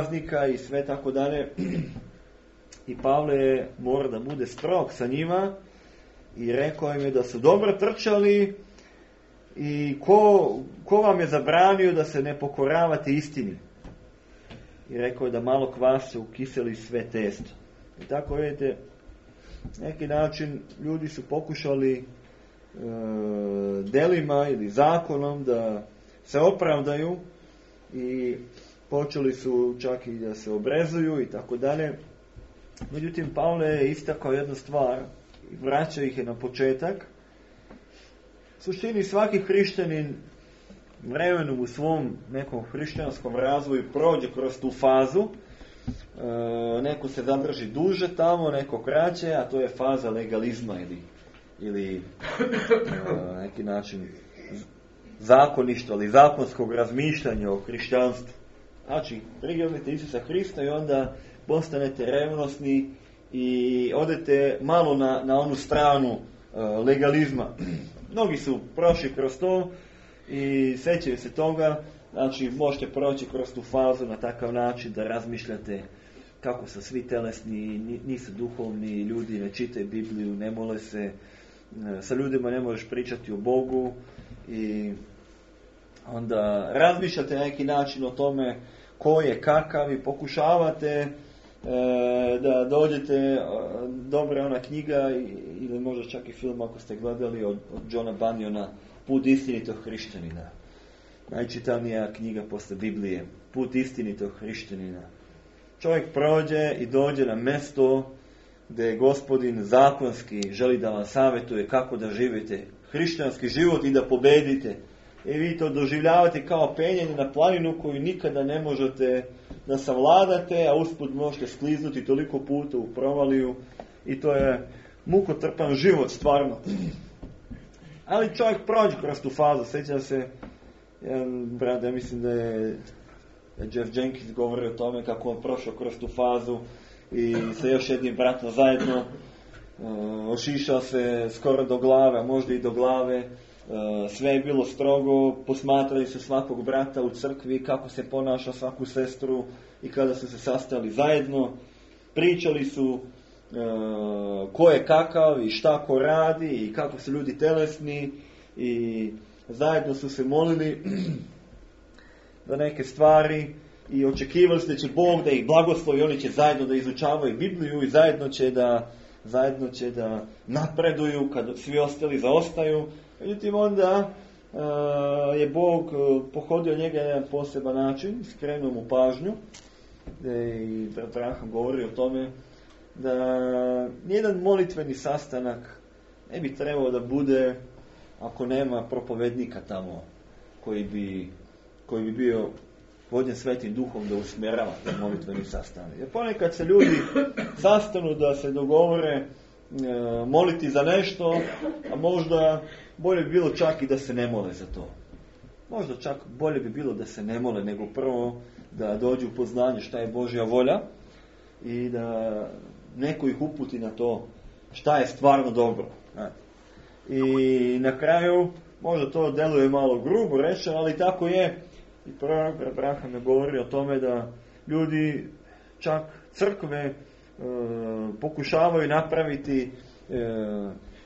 praznika i sve tako dalje. I Pavle mora da bude strog sa njima i rekao im je da su dobro trčali i ko vam je zabranio da se ne pokoravate istini. I rekao je da malo kvasa ukiseli sve testo. I tako vidite, neki način ljudi su pokušali delima ili zakonom da se opravdaju i počeli su čak i da se obrezuju i tako dalje. Međutim, Pavle je istakao jednu stvar i vraća ih je na početak. U suštini svaki hrišćanin vremenom u svom nekom hrišćanskom razvoju prođe kroz tu fazu. Neko se zadrži duže tamo, neko kraće, a to je faza legalizma ili neki način zakoništva ili zakonskog razmišljanja o hrišćanstvu. Znači, prihvatite Isusa Hrista i onda postanete revnosni i odete malo na onu stranu legalizma. Mnogi su prošli kroz to i sećaju se toga. Znači, možete proći kroz tu fazu na takav način da razmišljate kako su svi telesni, nisu duhovni ljudi, ne čitaju Bibliju, ne mole se, sa ljudima ne možeš pričati o Bogu i onda razmišljate na neki način o tome ko je kakav i pokušavate da dođete, dobra ona knjiga ili možda čak i film ako ste gledali od Johna Bunyana, Put istinitog hrišćanina. Najčitanija knjiga posle Biblije, Put istinitog hrišćanina. Čovjek prođe i dođe na mjesto gdje Gospodin zakonski želi da vam savjetuje kako da živite hrišćanski život i da pobedite. I vi to doživljavate kao penjanje na planinu koju nikada ne možete da savladate, a usput možete skliznuti toliko puta u provaliju i to je mukotrpan život stvarno. Ali čovjek prođe kroz tu fazu. Sjećam se, jedan brat, ja mislim da je Jeff Jenkins govorio o tome kako on prošao kroz tu fazu i sa još jednim bratom zajedno ošišao se skoro do glave, a možda i do glave. Sve je bilo strogo, posmatrali su svakog brata u crkvi, kako se ponaša svaku sestru i kada su se sastali zajedno, pričali su ko je kakav i šta ko radi i kako su ljudi telesni i zajedno su se molili za neke stvari i očekivali su da će Bog da ih blagoslovi, oni će zajedno da izučavaju Bibliju i zajedno će da napreduju kad svi ostali zaostaju. Međutim, onda je Bog pohodio njega na jedan poseban način, skrenuo mu pažnju i Abraham govori o tome da nijedan molitveni sastanak ne bi trebao da bude ako nema propovednika tamo koji bi bio vođen Svetim Duhom da usmjerava te molitveni sastanak. Jer ponekad se ljudi sastanu da se dogovore moliti za nešto, a možda bolje bi bilo čak i da se ne mole za to. Možda čak bolje bi bilo da se ne mole, nego prvo da dođu u poznanje šta je Božja volja i da neko ih uputi na to šta je stvarno dobro. I na kraju, možda to deluje malo grubo rečeno, ali tako je. I prorok Abraham je govorio o tome da ljudi, čak crkve, pokušavaju napraviti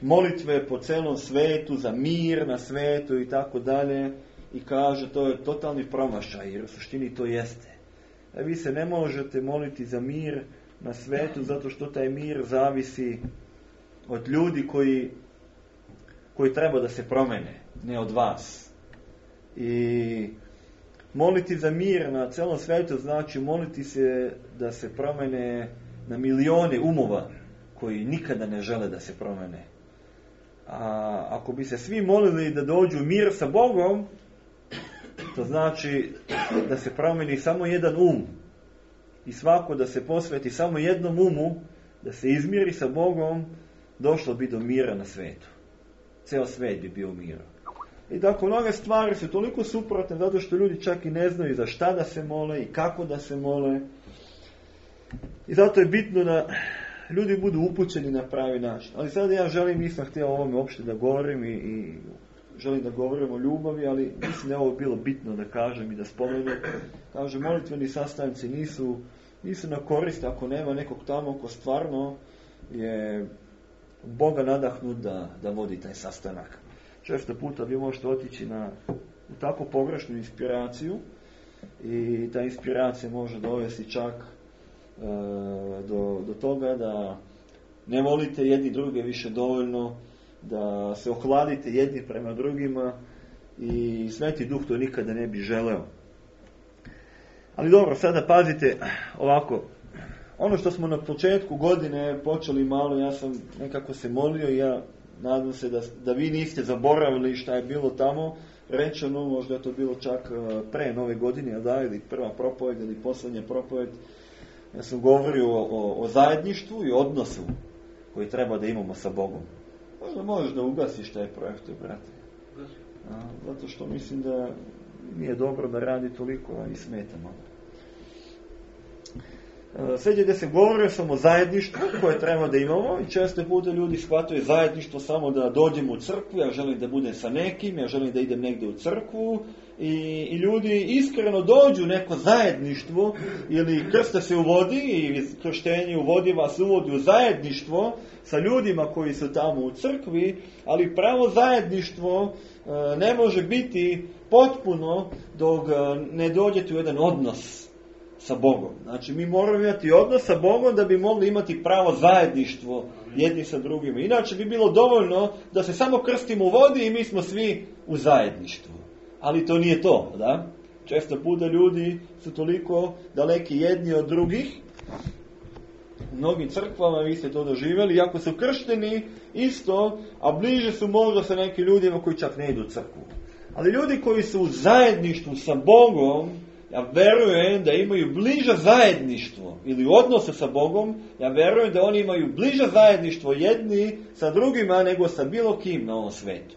molitve po celom svetu, za mir na svetu i tako dalje. I kaže, to je totalni promašaj, jer u suštini to jeste. Vi se ne možete moliti za mir na svetu, zato što taj mir zavisi od ljudi koji treba da se promene, ne od vas. I moliti za mir na celom svetu znači moliti se da se promene na milione umova koji nikada ne žele da se promene. A ako bi se svi molili da dođu u mir sa Bogom, to znači da se promeni samo jedan um. I svako da se posveti samo jednom umu, da se izmiri sa Bogom, došlo bi do mira na svetu. Ceo svet bi bio u miru. I tako mnoge stvari su toliko suprotne, zato što ljudi čak i ne znaju za šta da se mole i kako da se mole. I zato je bitno da ljudi budu upućeni na pravi način. Ali sada ja želim, nisam htio o ovome uopšte da govorim i želim da govorim o ljubavi, ali mislim da je ovo bilo bitno da kažem i da spomenem. Kaže, molitveni sastanci nisu na korist ako nema nekog tamo ko stvarno je Boga nadahnut da vodi taj sastanak. Često puta vi možete otići u tako pogrešnu inspiraciju i ta inspiracija može dovesti čak do toga da ne volite jedni druge više dovoljno, da se ohladite jedni prema drugima i Sveti Duh to nikada ne bi želeo. Ali dobro, sada pazite ovako. Ono što smo na početku godine počeli malo, ja sam nekako se molio i ja nadam se da vi niste zaboravili šta je bilo tamo rečeno, možda je to bilo čak pre Nove godine, ili prva propoved ili posljednja propoved. Ja sam govorio o zajedništvu i odnosu koji treba da imamo sa Bogom. Možda možeš da ugasiš taj projektor, brate. Zato što mislim da nije dobro da radi toliko i smeta malo. Sjećate se, govorio sam o zajedništvu koje treba da imamo i često puta ljudi shvataju zajedništvo samo da dođem u crkvu, ja želim da budem sa nekim, ja želim da idem negdje u crkvu i ljudi iskreno dođu u neko zajedništvo ili krste se uvodi i krštenje uvodi vas uvodi u zajedništvo sa ljudima koji su tamo u crkvi, ali pravo zajedništvo ne može biti potpuno dok ne dođete u jedan odnos sa Bogom. Znači, mi moramo imati odnos sa Bogom da bi mogli imati pravo zajedništvo jedni sa drugima. Inače bi bilo dovoljno da se samo krstimo u vodi i mi smo svi u zajedništvu. Ali to nije to, da? Često puta ljudi su toliko daleki jedni od drugih. U mnogim crkvama vi ste to doživjeli, iako su kršteni isto, a bliže su možda sa nekim ljudima koji čak ne idu u crkvu. Ali ljudi koji su u zajedništvu sa Bogom, ja verujem da imaju bliže zajedništvo ili odnose sa Bogom, ja verujem da oni imaju bliže zajedništvo jedni sa drugima nego sa bilo kim na ovom svetu.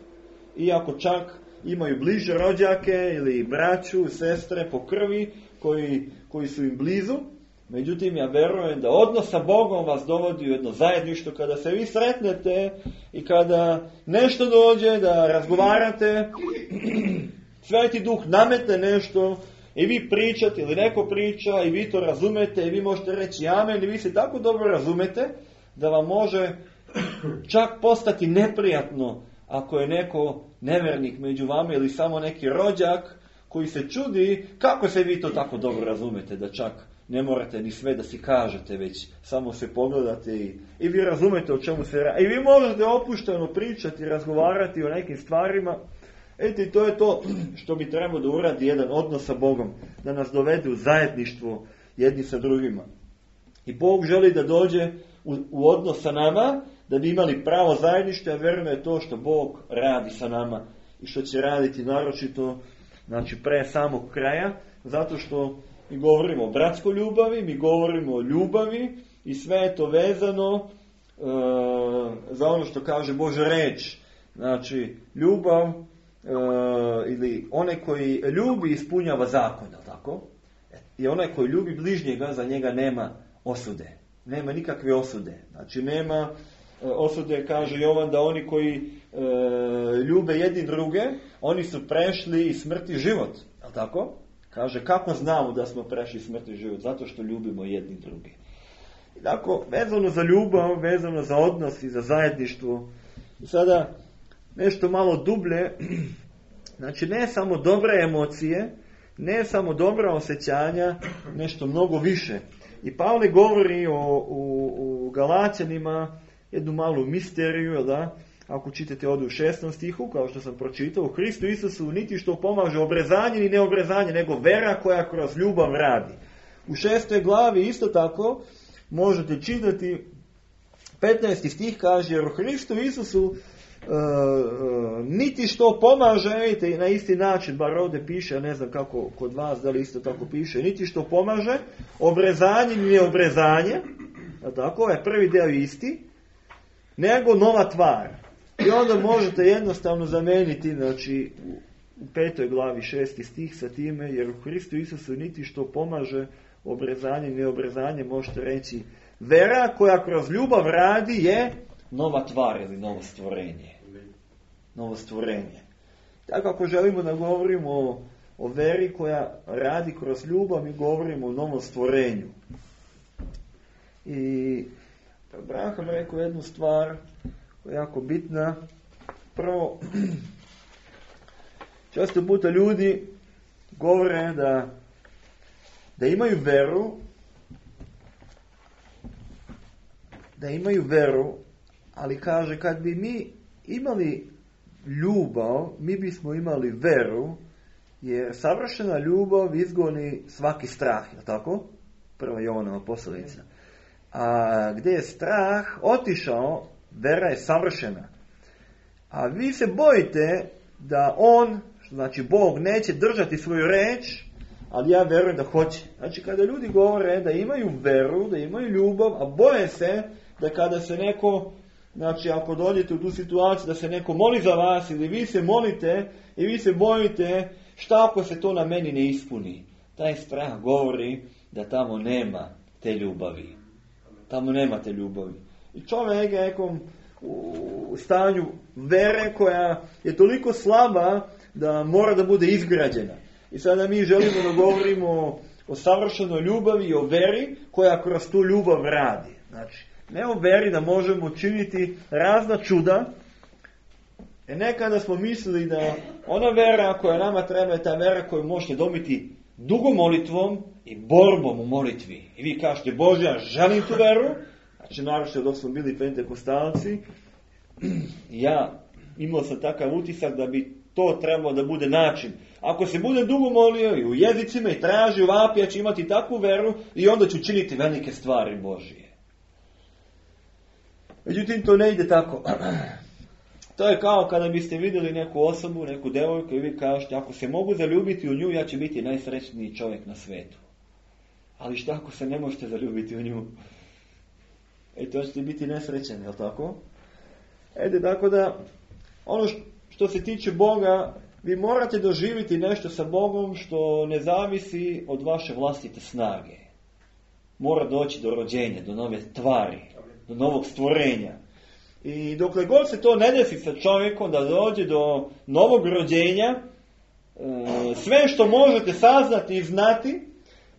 Iako čak imaju bliže rođake ili braću, sestre po krvi koji su im blizu, međutim ja verujem da odnos sa Bogom vas dovodi u jedno zajedništvo kada se vi sretnete i kada nešto dođe da razgovarate, Sveti Duh nametne nešto i vi pričate ili neko priča i vi to razumete i vi možete reći amen i vi se tako dobro razumete da vam može čak postati neprijatno ako je neko nevernik među vama ili samo neki rođak koji se čudi kako se vi to tako dobro razumete da čak ne morate ni sve da si kažete, već samo se pogledate i vi razumete o čemu se radi. I vi možete opušteno pričati i razgovarati o nekim stvarima. Eto, to je to što bi trebalo da uradi jedan odnos sa Bogom, da nas dovede u zajedništvo jedni sa drugima. I Bog želi da dođe u odnos sa nama, da bi imali pravo zajedništvo, a verujem je to što Bog radi sa nama i što će raditi naročito, znači pre samog kraja, zato što mi govorimo o bratskoj ljubavi, mi govorimo o ljubavi i sve je to vezano za ono što kaže Božja reč. Znači, ljubav ili onaj koji ljubi ispunjava zakon, tako? I onaj koji ljubi bližnjega, za njega nema osude. Nema nikakve osude. Znači, nema osude, kaže Jovan, da oni koji ljube jedni druge, oni su prešli iz smrti život. Tako? Kaže, kako znamo da smo prešli smrti život? Zato što ljubimo jedni druge. I tako, vezano za ljubav, vezano za odnos i za zajedništvo. I sada, nešto malo dublje, znači ne samo dobre emocije, ne samo dobra osjećanja, nešto mnogo više. I Pavle govori u Galaćanima jednu malu misteriju, da? Ako čitate ovdje u 6. stihu, kao što sam pročitao, u Hristu Isusu niti što pomaže obrezanje ni neobrezanje, nego vera koja kroz ljubav radi. U 6. glavi isto tako možete čitati 15. stih kaže, jer u Hristu Isusu niti što pomaže, vidite, na isti način, bar ovdje piše, ne znam kako kod vas, da li isto tako piše, niti što pomaže, obrezanje ni neobrezanje, tako, ovaj prvi deo isti, nego nova tvar. I onda možete jednostavno zameniti, znači, u 5. glavi 6. stih sa time, jer u Hristu Isusu niti što pomaže obrezanje ni neobrezanje, možete reći, vera koja kroz ljubav radi je nova tvar ili novo stvorenje. Novo stvorenje. Tako ako želimo da govorimo o veri koja radi kroz ljubav, mi govorimo o novom stvorenju. I Abraham rekao jednu stvar koja je jako bitna. Prvo, često puta ljudi govore da imaju veru, ali kaže, kad bi mi imali ljubav, mi bismo imali veru, jer savršena ljubav izgoni svaki strah, je tako? Prva Jovanova poslovica. A gdje je strah otišao, vera je savršena. A vi se bojite da on, što znači Bog, neće držati svoju reč, ali ja verujem da hoće. Znači kada ljudi govore da imaju veru, da imaju ljubav, a boje se da kada se neko, znači ako dođete u tu situaciju da se neko moli za vas ili vi se molite i vi se bojite šta ako se to na meni ne ispuni. Taj strah govori da tamo nema te ljubavi. Tamo nema te ljubavi. I čovjek je nekom u stanju vere koja je toliko slaba da mora da bude izgrađena. I sada mi želimo da govorimo o savršenoj ljubavi i o veri koja kroz tu ljubav radi. Znači, ne o veri da možemo činiti razna čuda. Nekada smo mislili da ona vera koja nama treba je ta vera koju možete dobiti dugom molitvom i borbom u molitvi. I vi kažete, Bože, ja želim tu veru. Znači, naravno dok smo bili pentekostalci, ja imao sam takav utisak da bi to trebalo da bude način. Ako se bude dugo molio i u jezicima i traži vapi, ja ću imati takvu veru i onda ću činiti velike stvari Božije. Međutim, to ne ide tako. To je kao kada biste vidjeli neku osobu, neku devojku i vi kažete, ako se mogu zaljubiti u nju, ja ću biti najsrećniji čovjek na svijetu. Ali šta ako se ne možete zaljubiti u nju? To ćete biti nesrećeni, je li tako? Tako da, ono što se tiče Boga, vi morate doživjeti nešto sa Bogom što ne zavisi od vaše vlastite snage. Mora doći do rođenja, do nove tvari, do novog stvorenja. I dokle god se to ne desi sa čovjekom da dođe do novog rođenja, sve što možete saznati i znati,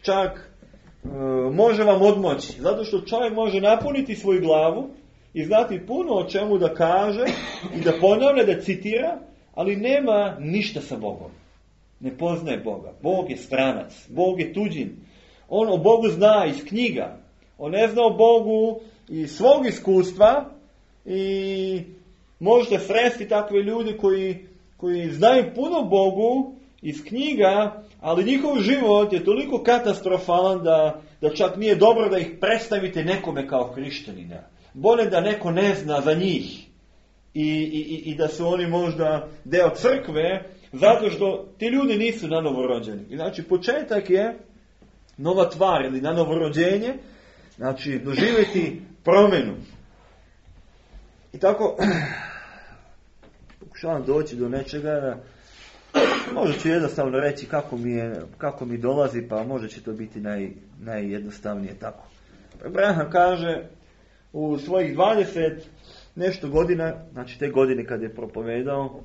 čak može vam odmoći. Zato što čovjek može napuniti svoju glavu i znati puno o čemu da kaže i da ponavlja, da citira, ali nema ništa sa Bogom. Ne poznaje Boga. Bog je stranac. Bog je tuđin. On o Bogu zna iz knjiga. On ne zna o Bogu iz svog iskustva i možete sresti takve ljudi koji znaju puno o Bogu iz knjiga, ali njihov život je toliko katastrofalan da čak nije dobro da ih predstavite nekome kao hrišćanina. Bolje da neko ne zna za njih i da su oni možda deo crkve, zato što ti ljudi nisu na novo rođeni. I znači početak je nova tvar ili na novo rođenje, znači doživjeti promjenu. I tako pokušavam doći do nečega. Možda ću jednostavno reći kako mi dolazi, pa možda će to biti najjednostavnije tako. Abraham kaže u svojih 20 nešto godina, znači te godine kad je propovedao,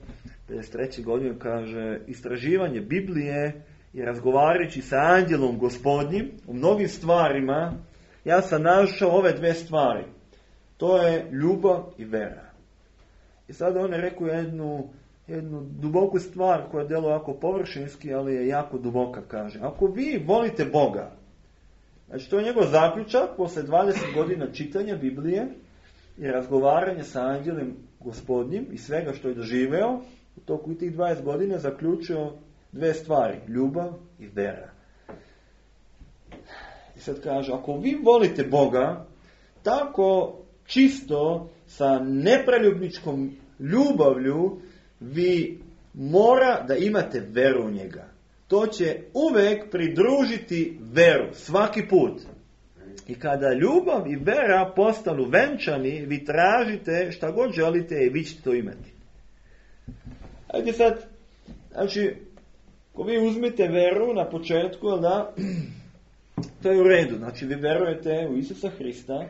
53. godine, kaže, istraživanje Biblije i razgovarajući sa anđelom Gospodnjim u mnogim stvarima, ja sam našao ove dve stvari. To je ljubav i vera. I sada on je rekao jednu duboku stvar koja djeluje jako površinski, ali je jako duboka, kaže. Ako vi volite Boga, znači to je njegov zaključak posle 20 godina čitanja Biblije i razgovaranja sa anđelom Gospodnjim i svega što je doživeo, u toku tih 20 godina zaključio dve stvari, ljubav i vera. I sad kaže, ako vi volite Boga, tako čisto sa nepreljubničkom ljubavlju, vi mora da imate veru u njega. To će uvek pridružiti veru, svaki put. I kada ljubav i vera postanu venčani, vi tražite šta god želite i vi ćete to imati. Ajde sad, znači, ako vi uzmete veru na početku, da, to je u redu. Znači, vi verujete u Isusa Hrista,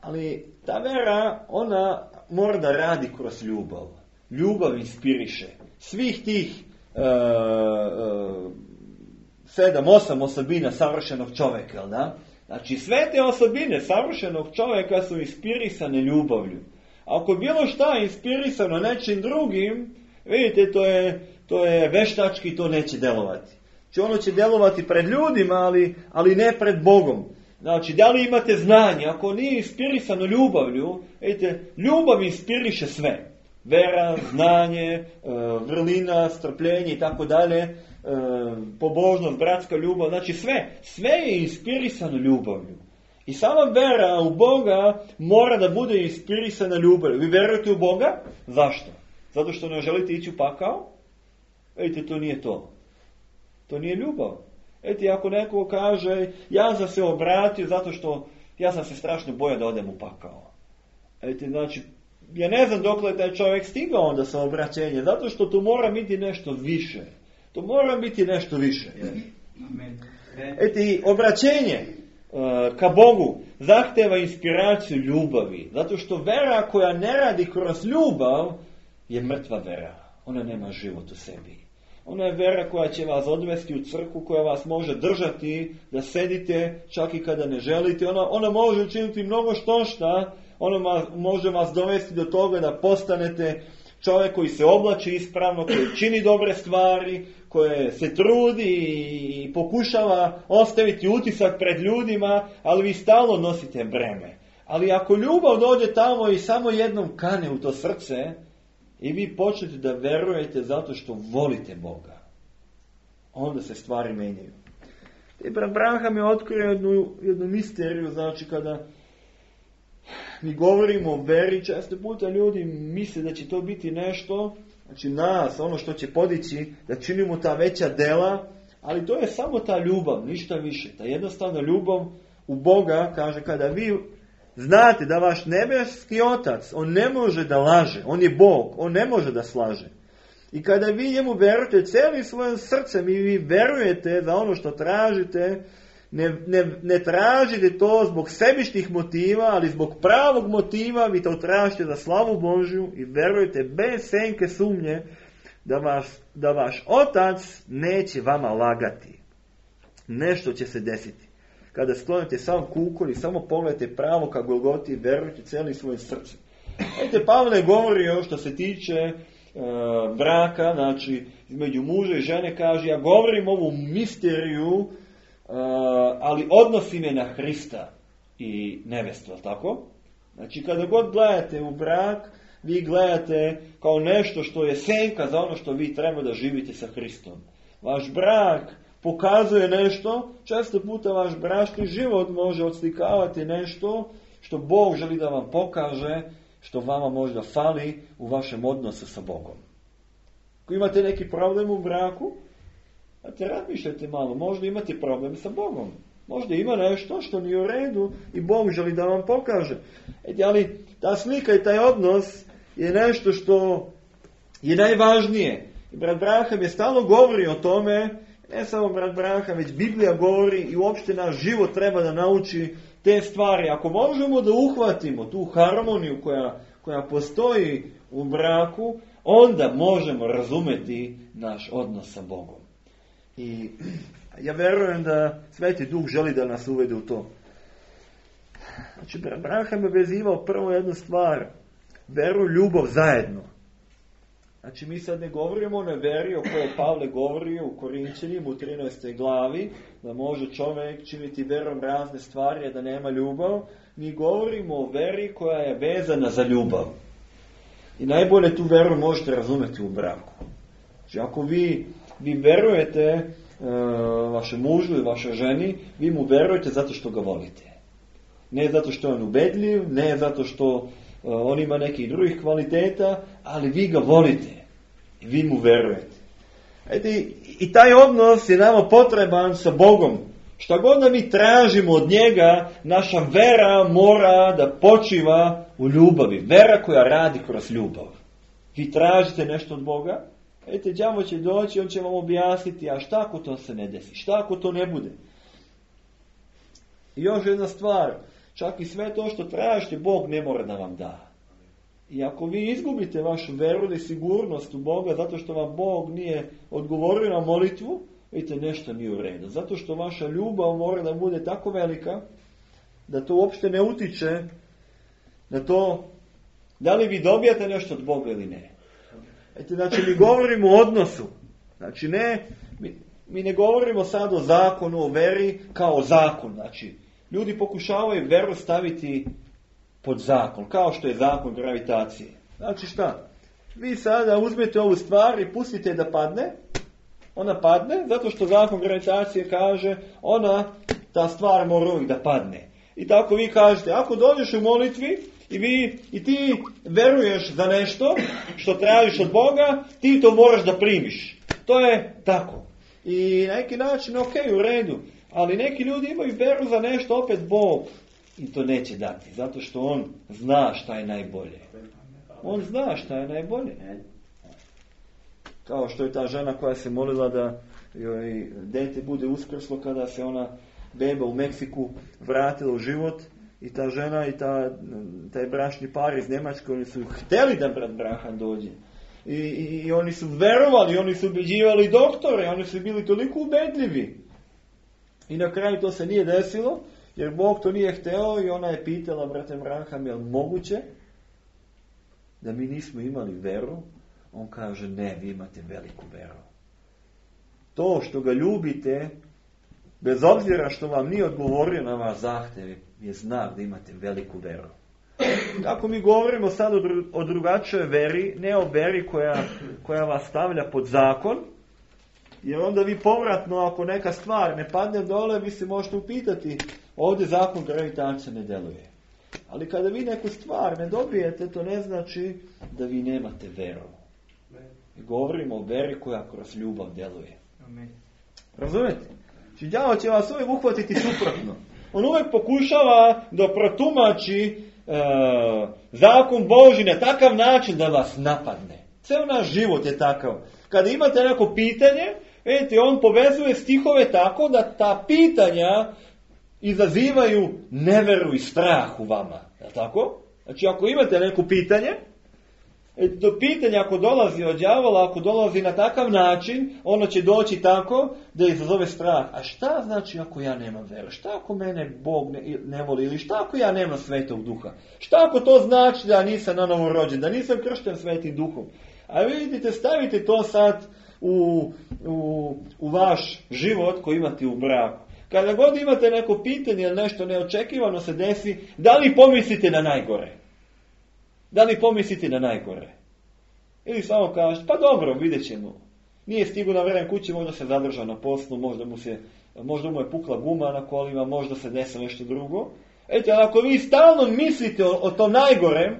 ali ta vera, ona mora da radi kroz ljubav. Ljubav inspiriše. svih tih 7-8 osobina savršenog čovjeka, jel da? Znači, sve te osobine savršenog čovjeka su inspirisane ljubavlju. Ako je bilo šta inspirisano nečim drugim, vidite, to je veštački, to neće delovati. Znači, ono će delovati pred ljudima, ali ne pred Bogom. Znači, da li imate znanje? Ako nije inspirisano ljubavlju, vidite, ljubav inspiriše sve. Vera, znanje, vrlina, strpljenje i tako dalje, pobožnost, bratska ljubav, znači sve je inspirisano ljubavlju. I sama vera u Boga mora da bude inspirisana ljubavlju. Vi verujete u Boga? Zašto? Zato što ne želite ići u pakao? Vidite, to nije to. To nije ljubav. Vidite, ako neko kaže, ja sam se obratio zato što ja sam se strašno bojao da odem u pakao. Vidite, znači, ja ne znam dokle je taj čovjek stigao onda sa obraćenjem, zato što tu mora biti nešto više. To mora biti nešto više. Vidite, obraćenje ka Bogu zahteva inspiraciju ljubavi, zato što vera koja ne radi kroz ljubav je mrtva vera. Ona nema život u sebi. Ona je vera koja će vas odvesti u crkvu, koja vas može držati da sedite čak i kada ne želite. Ona može učiniti mnogo šta. Ona može vas dovesti do toga da postanete čovjek koji se oblači ispravno, koji čini dobre stvari, koje se trudi i pokušava ostaviti utisak pred ljudima, ali vi stalno nosite breme. Ali ako ljubav dođe tamo i samo jednom kane u to srce, i vi počnete da verujete zato što volite Boga, onda se stvari menjaju. I brat Branham je otkrio jednu misteriju, znači kada mi govorimo o veri, često puta ljudi misle da će to biti nešto, znači nas, ono što će podići, da činimo ta veća dela, ali to je samo ta ljubav, ništa više. Ta jednostavna ljubav u Boga, kaže, kada vi znate da vaš nebeski Otac, on ne može da laže, on je Bog, on ne može da slaže. I kada vi njemu verujete cijelim svojim srcem i vi verujete za ono što tražite, ne tražite to zbog sebičnih motiva, ali zbog pravog motiva, vi to tražite za slavu Božju i verujete bez senke sumnje da vaš Otac neće vama lagati. Nešto će se desiti. Kada sklonite sam kukor i samo pogledajte pravo ka Golgoti i verujete cijelim svojim srcem. Vidite, Pavle govori što se tiče braka, znači između muža i žene, kaže, ja govorim ovu misteriju, ali odnosi me na Hrista i nevestu, tako? Znači, kada god gledate u brak, vi gledate kao nešto što je senka za ono što vi treba da živite sa Hristom. Vaš brak pokazuje nešto, često puta vaš bračni život može odslikavati nešto što Bog želi da vam pokaže, što vama možda fali u vašem odnosu sa Bogom. Ako imate neki problem u braku, razmišljajte malo, možda imate problem sa Bogom. Možda ima nešto što nije u redu i Bog želi da vam pokaže. Ali ta slika i taj odnos je nešto što je najvažnije. I brat Branham je stalno govori o tome, ne samo brat Branham, već Biblija govori i uopšte naš život treba da nauči te stvari. Ako možemo da uhvatimo tu harmoniju koja postoji u braku, onda možemo razumeti naš odnos sa Bogom. I ja verujem da Sveti Duh želi da nas uvede u to. Znači, Branham je vezivao prvo jednu stvar, veru i ljubav zajedno. Znači, mi sad ne govorimo o onoj veri o kojoj Pavle govori u Korinćanima u 13. glavi, da može čovjek činiti verom razne stvari, a da nema ljubav. Mi govorimo o veri koja je vezana za ljubav. I najbolje tu veru možete razumjeti u braku. Znači, ako vi verujete vašem mužu i vašoj ženi, vi mu verujete zato što ga volite. Ne zato što je on ubedljiv, ne zato što on ima nekih drugih kvaliteta, ali vi ga volite. I vi mu verujete. I taj odnos je nama potreban sa Bogom. Šta god da mi tražimo od njega, naša vera mora da počiva u ljubavi. Vera koja radi kroz ljubav. Vi tražite nešto od Boga, đavo će doći, on će vam objasniti, a šta ako to se ne desi, šta ako to ne bude. I još jedna stvar, čak i sve to što tražite, Bog ne mora da vam da. I ako vi izgubite vašu veru ili sigurnost u Boga zato što vam Bog nije odgovorio na molitvu, vidite, nešto nije u redu. Zato što vaša ljubav mora da bude tako velika da to uopšte ne utiče na to da li vi dobijate nešto od Boga ili ne. Znači, mi govorimo o odnosu. Znači, mi ne govorimo sad o zakonu, o veri kao zakon. Znači, ljudi pokušavaju veru staviti pod zakon, kao što je zakon gravitacije. Znači šta? Vi sada uzmete ovu stvar i pustite da padne. Ona padne zato što zakon gravitacije kaže ta stvar mora uvijek da padne. I tako vi kažete, ako dođeš u molitvi i ti veruješ za nešto što tražiš od Boga, ti to moraš da primiš. To je tako. I na neki način, ok, u redu. Ali neki ljudi imaju veru za nešto, opet Bog i to neće dati. Zato što on zna šta je najbolje. On zna šta je najbolje. Kao što je ta žena koja se molila da joj dete bude uskrslo kada se ona beba u Meksiku vratila u život. I ta žena i taj bračni par iz Njemačke, oni su htjeli da brat Brahan dođe. I oni su verovali, oni su ubeđivali doktore, oni su bili toliko ubedljivi. I na kraju to se nije desilo, jer Bog to nije hteo i ona je pitala brate Braham, je li moguće da mi nismo imali veru? On kaže, ne, vi imate veliku veru. To što ga ljubite, bez obzira što vam nije odgovorio na vaš zahtjev, je znak da imate veliku veru. Kako mi govorimo sad o drugačijoj veri, ne o veri koja vas stavlja pod zakon, jer onda vi povratno, ako neka stvar ne padne dole, vi se možete upitati, ovdje zakon gravitacije ne deluje. Ali kada vi neku stvar ne dobijete, to ne znači da vi nemate veru. Govorimo o veri koja kroz ljubav deluje. Amen. Razumete? Znači, đavo će vas uvijek uhvatiti suprotno. On uvijek pokušava da protumači zakon Božji na takav način da vas napadne. Ceo naš život je takav. Kada imate neko pitanje, vidite, on povezuje stihove tako da ta pitanja izazivaju neveru i strah u vama. Je tako? Znači, ako imate neko pitanje, to pitanje ako dolazi od đavola, ako dolazi na takav način, ono će doći tako da izazove strah. A šta znači ako ja nemam veru? Šta ako mene Bog ne voli? Ili šta ako ja nemam Svetog Duha? Šta ako to znači da nisam nanovo rođen, da nisam kršten Svetim Duhom? A vidite, stavite to sad u vaš život koji imate u braku. Kada god imate neko pitanje ili nešto neočekivano se desi, da li pomislite na najgore? Da li pomislite na najgore? Ili samo kažete, pa dobro, vidjet ćemo. Nije stigao na vreme kući, možda se zadržao na poslu, možda mu je pukla guma na kolima, možda se desi nešto drugo. Eto, ali ako vi stalno mislite o tom najgorem,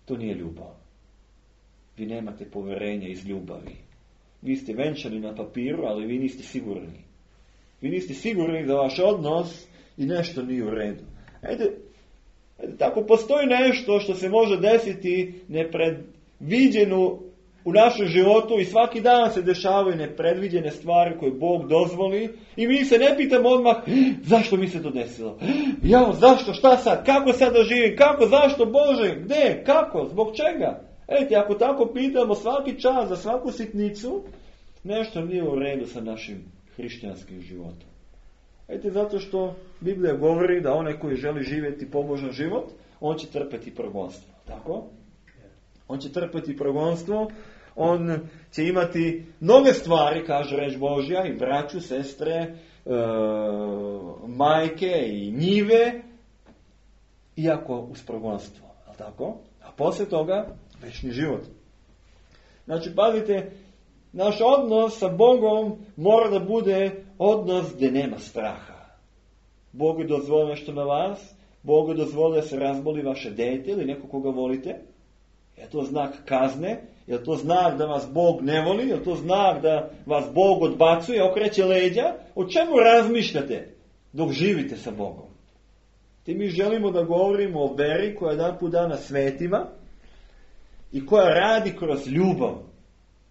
to nije ljubav. Vi nemate poverenja iz ljubavi. Vi ste venčani na papiru, ali vi niste sigurni. Vi niste sigurni da vaš odnos i nešto nije u redu. Tako postoji nešto što se može desiti nepredviđeno u našem životu i svaki dan se dešavaju nepredviđene stvari koje Bog dozvoli i mi se ne pitamo odmah zašto mi se to desilo. Zašto, šta sad, kako sad da živim, kako, zašto, Bože, gdje, kako, zbog čega? Ako tako pitamo svaki čas za svaku sitnicu, nešto nije u redu sa našim hrišćanskim životom. Zato što Biblija govori da onaj koji želi živjeti pobožan život, on će trpeti progonstvo. Tako? On će trpeti progonstvo, on će imati mnoge stvari, kaže reč Božja, i braću, sestre, majke i njive, iako uz progonstvo. Tako? A poslije toga, večni život. Znači, pazite, naš odnos sa Bogom mora da bude odnos gdje nema straha. Bog je dozvolio nešto na vas, Bog je dozvolio da se razboli vaše dete ili neko koga volite. Je to znak kazne? Je to znak da vas Bog ne voli? Je to znak da vas Bog odbacuje, okreće leđa? O čemu razmišljate dok živite sa Bogom? Mi želimo da govorimo o veri koja je jedan put dana svetima i koja radi kroz ljubav.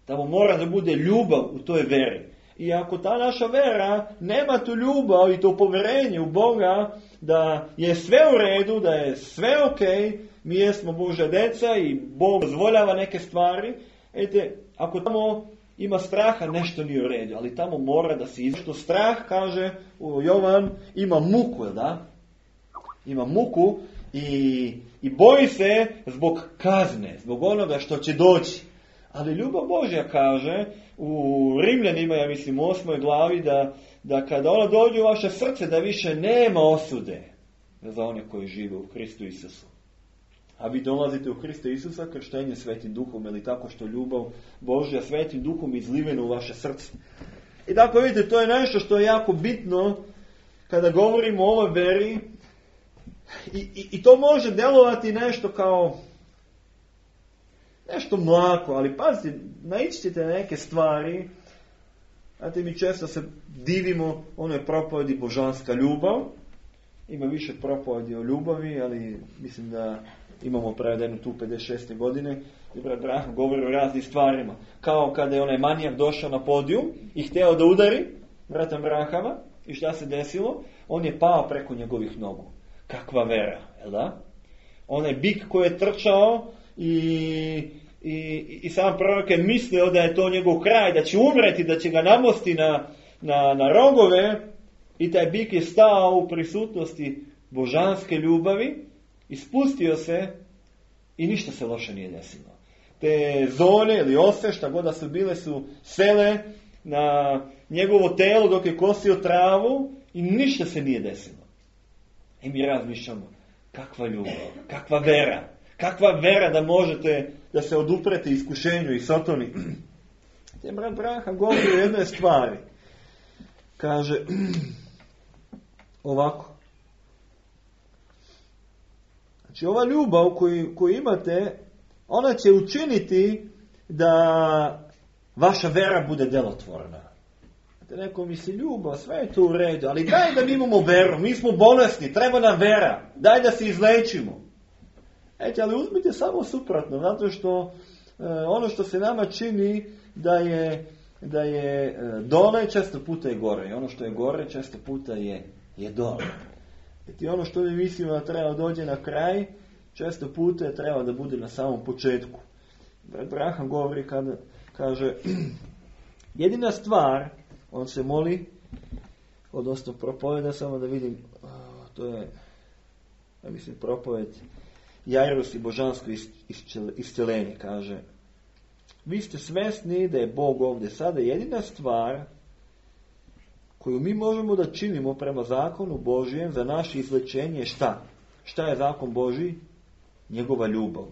Tamo mora da bude ljubav u toj veri. I ako ta naša vera nema tu ljubav i to poverenje u Boga da je sve u redu, da je sve ok, mi jesmo Božja deca i Bog dozvoljava neke stvari. Ako tamo ima straha, nešto nije u redu, ali tamo mora da se izvrši. Strah, kaže u Jovan, ima muku, da? Ima muku i boji se zbog kazne, zbog onoga što će doći. Ali ljubav Božja kaže u Rimljanima, ja mislim, 8. glavi, da kada ona dođe u vaše srce, da više nema osude za one koji žive u Kristu Isusu. A vi dolazite u Krista Isusa krštenje Svetim Duhom, ili tako što ljubav Božja Svetim Duhom izlivena u vaše srce. I tako vidite, to je nešto što je jako bitno kada govorimo o ovoj veri. I to može delovati nešto kao nešto mlako, ali pazite, naići ćete na neke stvari. Znate, mi često se divimo onoj propovedi božanska ljubav. Ima više propovedi o ljubavi, ali mislim da imamo prevedenu tu 56. godine. I brat Branham govori o raznim stvarima. Kao kada je onaj manijak došao na podijum i hteo da udari brata Branhama. I šta se desilo? On je pao preko njegovih nogu. Kakva vera, jel da? Onaj bik koji je trčao i sam prorok je mislio da je to njegov kraj, da će umreti, da će ga namosti na rogove, i taj bik je stao u prisutnosti božanske ljubavi, ispustio se i ništa se loše nije desilo. Te zone ili ose, šta god da su bile, su sele na njegovo telo dok je kosio travu i ništa se nije desilo. I mi razmišljamo, kakva ljubav, kakva vera da možete da se oduprete iskušenju i satoni. Te brat Branham govori o jednoj stvari. Kaže ovako. Znači, ova ljubav koju imate, ona će učiniti da vaša vera bude delotvorna. Neko misli, ljubav, sve je to u redu, ali daj da mi imamo veru, mi smo bolesni, treba nam vera, daj da se izlečimo. Ali uzmite samo suprotno, zato što ono što se nama čini da je dole, često puta je gore, i ono što je gore, često puta je dole. I ono što mi mislimo da treba dođe na kraj, često puta je treba da bude na samom početku. Branham govori kada kaže, jedina stvar, on se moli, odnosno propoveda, samo da vidim, to je, ja mislim, propoved Jairus i božansko isceljenje, kaže, vi ste svesni da je Bog ovdje sada. Jedina stvar koju mi možemo da činimo prema zakonu Božijem za naše izlečenje je šta? Šta je zakon Božji? Njegova ljubav.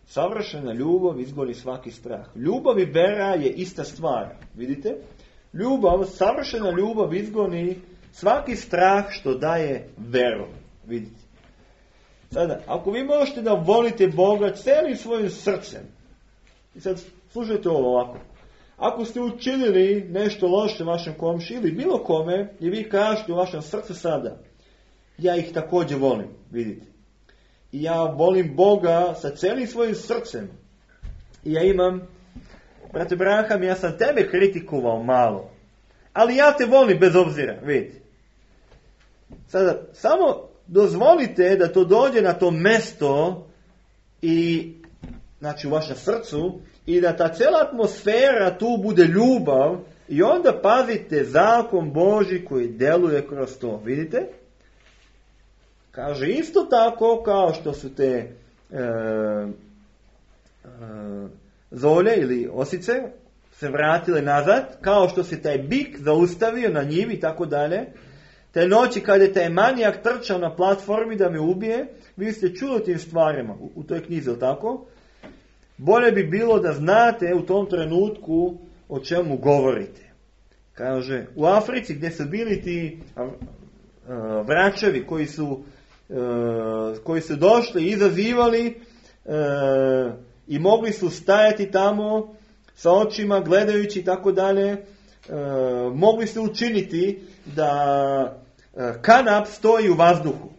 Savršena ljubav izgoni svaki strah. Ljubav i vera je ista stvar. Vidite? Savršena ljubav izgoni svaki strah što daje veru. Vidite? Sada, ako vi možete da volite Boga celim svojim srcem, i sad slušajte ovo ovako, ako ste učinili nešto loše vašem komši ili bilo kome, i vi kažete u vašem srcu sada, ja ih također volim, vidite. I ja volim Boga sa celim svojim srcem. I ja imam, brate Branham, ja sam tebe kritikovao malo, ali ja te volim bez obzira, vidite. Sada, samo dozvolite da to dođe na to mesto i, znači, u vašem srcu, i da ta cijela atmosfera tu bude ljubav, i onda pazite zakon Božji koji deluje kroz to. Vidite? Kaže, isto tako kao što su te zolje ili osice se vratile nazad, kao što se taj bik zaustavio na njivi i tako dalje. Te noći kad je taj manijak trčao na platformi da me ubije, vi ste čuli o tim stvarima u toj knjizi, ili tako? Bolje bi bilo da znate u tom trenutku o čemu govorite. Kaže, u Africi gdje su bili ti vračevi koji su došli i izazivali i mogli su stajati tamo sa očima gledajući i tako dalje, mogli su učiniti da kanap stoji u vazduhu.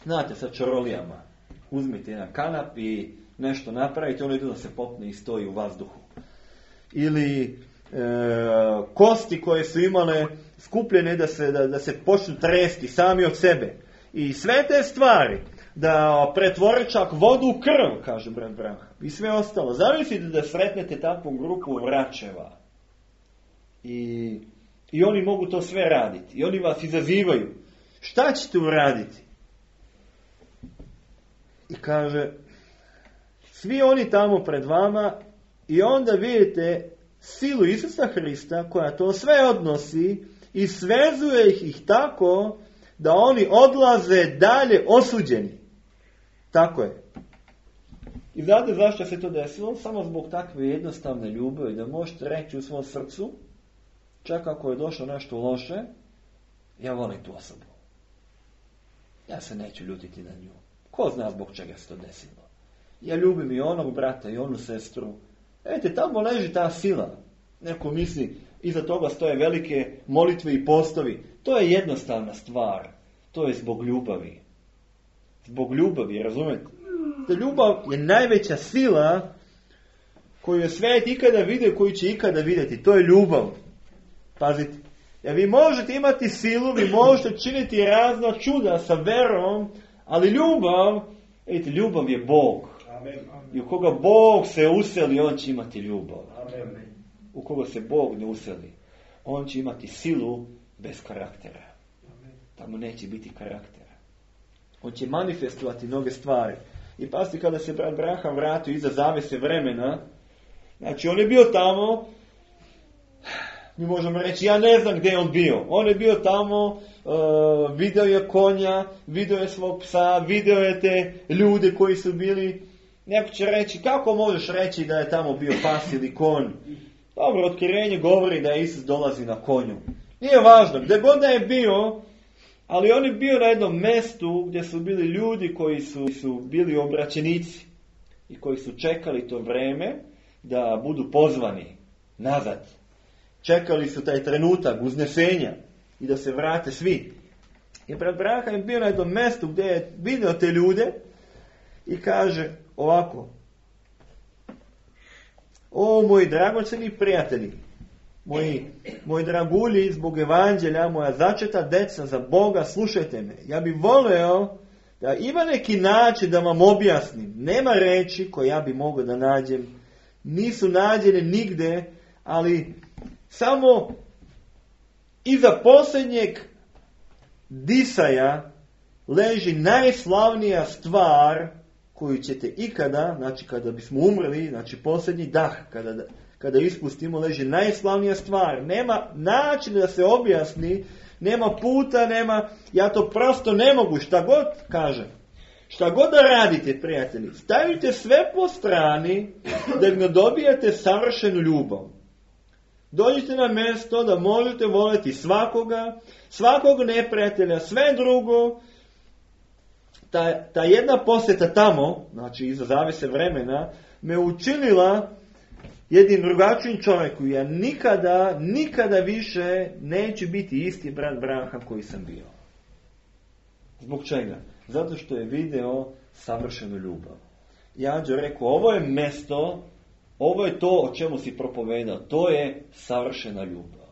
Znate, sa čarolijama. Uzmite jedan kanap i nešto napravite, ono ide da se popne i stoji u vazduhu. Ili kosti koje su imale skupljene da se počnu tresti sami od sebe. I sve te stvari da pretvore čak vodu u krv, kaže brat Branham, i sve ostalo. Zamislite da sretnete takvu grupu vraćeva. I oni mogu to sve raditi. I oni vas izazivaju. Šta ćete uraditi? I kaže, svi oni tamo pred vama, i onda vidite silu Isusa Hrista koja to sve odnosi i svezuje ih tako da oni odlaze dalje osuđeni. Tako je. I znate zašto se to desilo? Samo zbog takve jednostavne ljubavi, da možete reći u svom srcu, čak ako je došlo nešto loše, ja volim tu osobu. Ja se neću ljutiti na nju. Ko zna zbog čega se to desilo? Ja ljubim i onog brata i onu sestru. Vidite, tamo leži ta sila. Neko misli, iza toga stoje velike molitve i postovi. To je jednostavna stvar. To je zbog ljubavi. Zbog ljubavi, razumete? Ta ljubav je najveća sila koju je svijet ikada vidio, koju će ikada vidjeti. To je ljubav. Pazite. Ja, vi možete imati silu, vi možete činiti razna čuda sa verom, ali ljubav, vidite, ljubav je Bog. Amen. I u koga Bog se useli, on će imati ljubav. Amen. U koga se Bog ne useli, on će imati silu bez karaktera. Tamo neće biti karaktera. On će manifestovati mnoge stvari. I pazite, kada se brat Branham vratio iza zavese vremena, znači on je bio tamo, mi možemo reći, ja ne znam gdje je on bio. On je bio tamo, video je konja, video je svog psa, video je te ljude koji su bili. Neko će reći, kako možeš reći da je tamo bio pas ili konj? Dobro, otkrivenje govori da Isus dolazi na konju. Nije važno, gdje god da je bio, ali on je bio na jednom mjestu gdje su bili ljudi koji su bili obraćenici i koji su čekali to vrijeme da budu pozvani nazad. Čekali su taj trenutak uznesenja i da se vrate svi. I brat Branham je bio na jednom mjestu gdje je vidio te ljude i kaže ovako: o moji dragocjeni prijatelji, moji dragulji, zbog evanđelja, moja začeta deca za Boga, slušajte me. Ja bih voleo da ima neki način da vam objasnim. Nema reči koje ja bi mogao da nađem. Nisu nađene nigde, ali samo iza posljednjeg disaja leži najslavnija stvar koju ćete ikada, znači kada bismo umrli, znači posljednji dah, kada ispustimo, leži najslavnija stvar. Nema načina da se objasni, nema puta, ja to prosto ne mogu, šta god kažem. Šta god da radite, prijatelji, stavite sve po strani da ne dobijete savršenu ljubav. Dođite na mjesto da možete voljeti svakog neprijatelja, sve drugo. Ta jedna posjeta tamo, znači iza zavese vremena, me učinila jednim drugačijim čovjeku. Ja nikada više neću biti isti brat Branham koji sam bio. Zbog čega? Zato što je video savršenu ljubav. Ja ću rekao, ovo je mjesto, ovo je to o čemu si propovedao, to je savršena ljubav.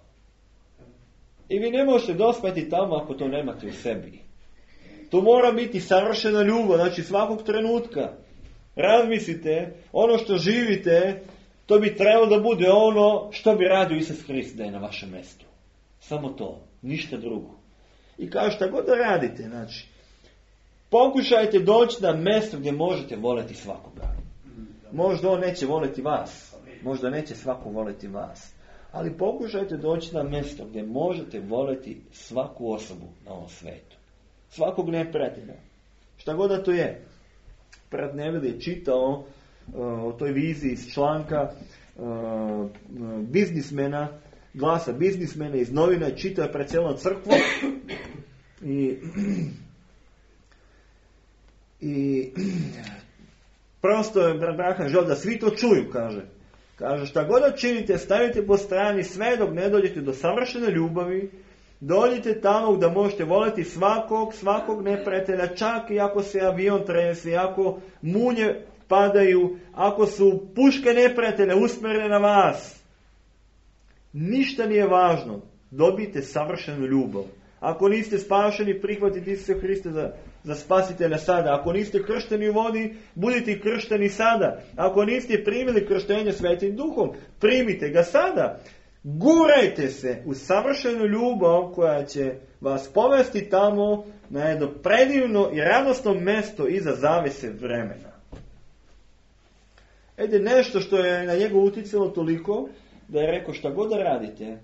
I vi ne možete dospjeti tamo ako to nemate u sebi. To mora biti savršena ljubav, znači svakog trenutka. Razmislite, ono što živite, to bi trebalo da bude ono što bi radio Isus Hrist da je na vašem mjestu. Samo to, ništa drugo. I kao šta god da radite, znači, pokušajte doći na mjesto gdje možete voljeti svakoga. Možda on neće voljeti vas, možda neće svako voljeti vas, ali pokušajte doći na mjesto gdje možete voljeti svaku osobu na ovom svijetu. Svakog neprijatelja. Šta god da to je. Brat Neville je čitao o toj viziji iz članka biznismena, glasa biznismena iz novina, čitao je pred cijelom crkvom i prosto je brat Branham želio da svi to čuju, kaže. Kaže, šta god da činite, stavite po strani sve dok ne dođete do savršene ljubavi. Dođite tamo gdje možete voljeti svakog neprijatelja, čak i ako se avion trese, ako munje padaju, ako su puške neprijatelja usmjerene na vas. Ništa nije važno. Dobijte savršenu ljubav. Ako niste spašeni, prihvatite Isusa Hrista za spasitelja sada. Ako niste kršteni u vodi, budite kršteni sada. Ako niste primili krštenje Svetim Duhom, primite ga sada. Gurajte se u savršenu ljubav koja će vas povesti tamo na jedno predivno i radosno mesto iza zavese vremena. Nešto što je na njega uticalo toliko da je rekao šta god da radite,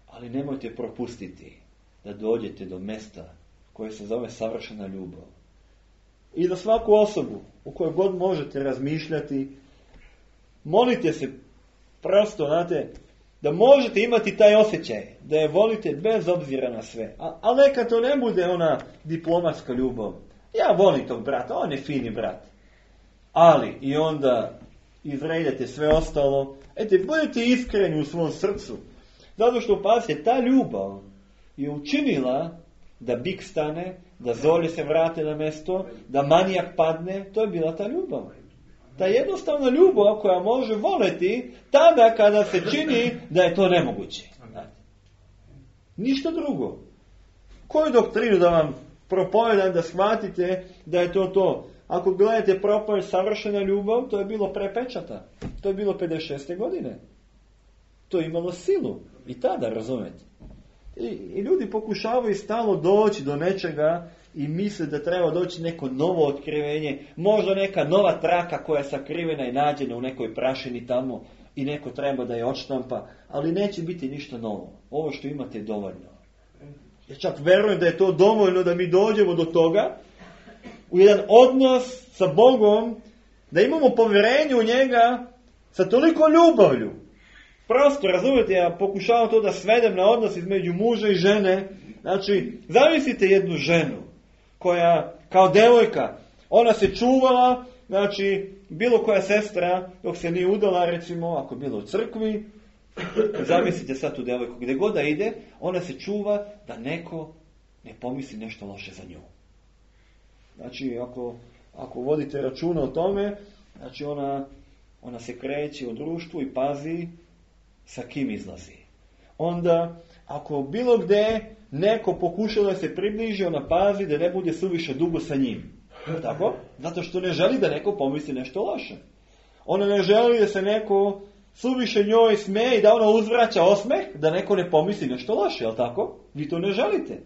ali nemojte propustiti da dođete do mesta koje se zove savršena ljubav. I za svaku osobu u kojoj god možete razmišljati, molite se prosto, znate, da možete imati taj osjećaj, da je volite bez obzira na sve. Ali neka to ne bude ona diplomatska ljubav. Ja volim tog brata, on je fini brat. Ali i onda izredate sve ostalo. Budite iskreni u svom srcu. Zato što, pazite, ta ljubav je učinila da bik stane, da zolje se vrate na mesto, da manijak padne. To je bila ta ljubav. Ta jednostavna ljubav koja može voleti tada kada se čini da je to nemoguće. Ništa drugo. Koju doktrinu da vam propovedam da shvatite da je to to? Ako gledate propoved savršena ljubav, to je bilo pre pečata. To je bilo 56. godine. To je imalo silu. I tada, razumete. I ljudi pokušavaju stalno doći do nečega i misle da treba doći neko novo otkrivenje, možda neka nova traka koja je sakrivena i nađena u nekoj prašini tamo i neko treba da je odštampa, ali neće biti ništa novo. Ovo što imate je dovoljno. Ja čak verujem da je to dovoljno da mi dođemo do toga, u jedan odnos sa Bogom, da imamo povjerenje u njega sa toliko ljubavlju. Prosto, razumijete, ja pokušavam to da svedem na odnos između muža i žene. Znači, zamislite jednu ženu koja, kao devojka, ona se čuvala, znači, bilo koja sestra, dok se nije udala, recimo, ako je bila u crkvi, zamislite sad tu devojku, gdje god da ide, ona se čuva da neko ne pomisli nešto loše za nju. Znači, ako vodite računa o tome, znači ona se kreće u društvu i pazi sa kim izlazi. Onda, ako bilo gdje neko pokuša da se približi, ona pazi da ne bude suviše dugo sa njim. Tako? Zato što ne želi da neko pomisli nešto loše. Ona ne želi da se neko suviše njoj smeje i da ona uzvraća osmeh, da neko ne pomisli nešto loše, jel tako? Vi to ne želite.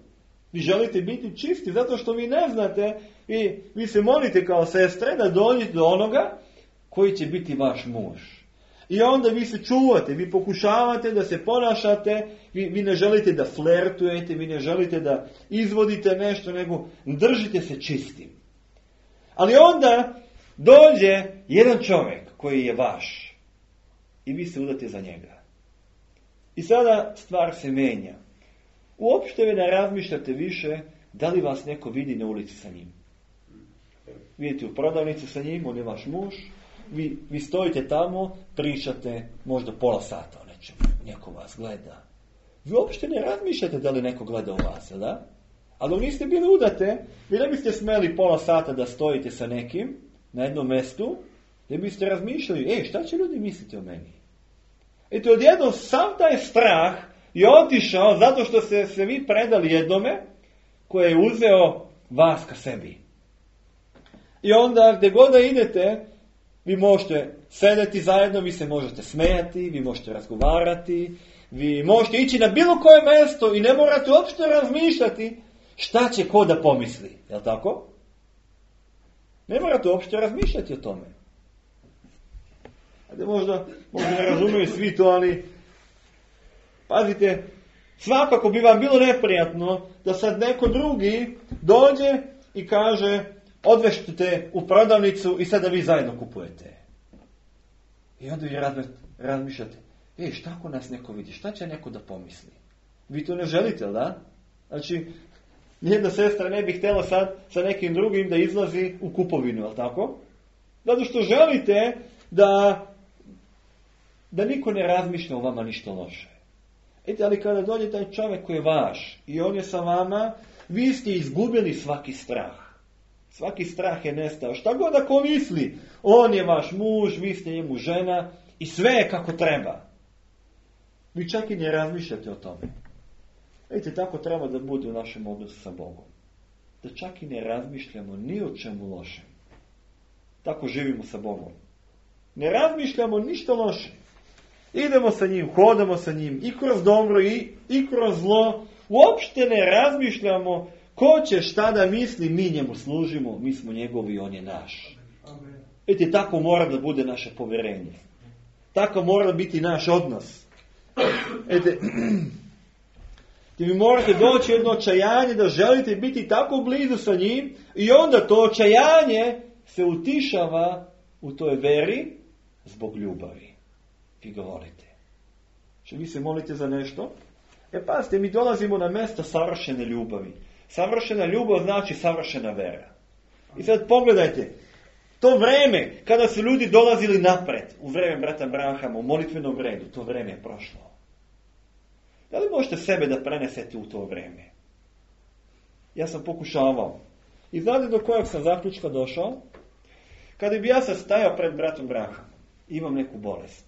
Vi želite biti čisti zato što vi ne znate i vi se molite kao sestre da dođete do onoga koji će biti vaš muž. I onda vi se čuvate, vi pokušavate da se ponašate, vi ne želite da flertujete, vi ne želite da izvodite nešto, nego držite se čistim. Ali onda dođe jedan čovjek koji je vaš i vi se udate za njega. I sada stvar se menja. Uopšte vi ne razmišljate više da li vas neko vidi na ulici sa njim. Vidite u prodavnici sa njim, on je vaš muž, vi stojite tamo, pričate možda pola sata o nečemu, neko vas gleda. Vi uopšte ne razmišljate da li neko gleda u vas, da? Ali dok niste bili udate, vi ne biste smeli pola sata da stojite sa nekim na jednom mjestu, da biste razmišljali, šta će ljudi misliti o meni? Eto, odjednom sam taj strah je otišao zato što ste se vi predali jednome koji je uzeo vas ka sebi. I onda gdje god da idete, vi možete sedeti zajedno, vi se možete smejati, vi možete razgovarati, vi možete ići na bilo koje mjesto i ne morate uopšte razmišljati šta će ko da pomisli. Jel' tako? Ne morate uopšte razmišljati o tome. Ajde, možda ne razumiju svi to, ali pazite, svakako bi vam bilo neprijatno da sad neko drugi dođe i kaže odvežite u prodavnicu i sada vi zajedno kupujete. I onda vi razmišljate, šta ako nas neko vidi, šta će neko da pomisli? Vi to ne želite, da? Znači, nijedna sestra ne bi htjela sad sa nekim drugim da izlazi u kupovinu, jel' tako? Zato što želite da niko ne razmišlja o vama ništa loše. Ali kada dođe taj čovjek koji je vaš i on je sa vama, vi ste izgubili svaki strah. Svaki strah je nestao. Šta god ako misli, on je vaš muž, vi ste njemu žena i sve je kako treba. Vi čak i ne razmišljate o tome. Vidite, tako treba da bude u našem odnosu sa Bogom. Da čak i ne razmišljamo ni o čemu lošem. Tako živimo sa Bogom. Ne razmišljamo ništa loše. Idemo sa njim, hodamo sa njim i kroz dobro i kroz zlo. Uopšte ne razmišljamo ko će šta da misli, mi njemu služimo, mi smo njegovi i on je naš. Vidite, tako mora da bude naše povjerenje. Tako mora biti naš odnos. Vidite, vi morate doći jedno očajanje da želite biti tako blizu sa njim i onda to očajanje se utišava u toj veri zbog ljubavi. Vi ga volite. Če vi se molite za nešto? Pazite, mi dolazimo na mjesto savršene ljubavi. Savršena ljubav znači savršena vera. I sad pogledajte, to vreme kada su ljudi dolazili napred, u vreme brata Branhama, u molitvenom redu, to vreme je prošlo. Da li možete sebe da prenesete u to vreme? Ja sam pokušavao. I znate do kojeg sam zaključka došao? Kada bi ja sad stajao pred bratom Branhamom, imam neku bolest.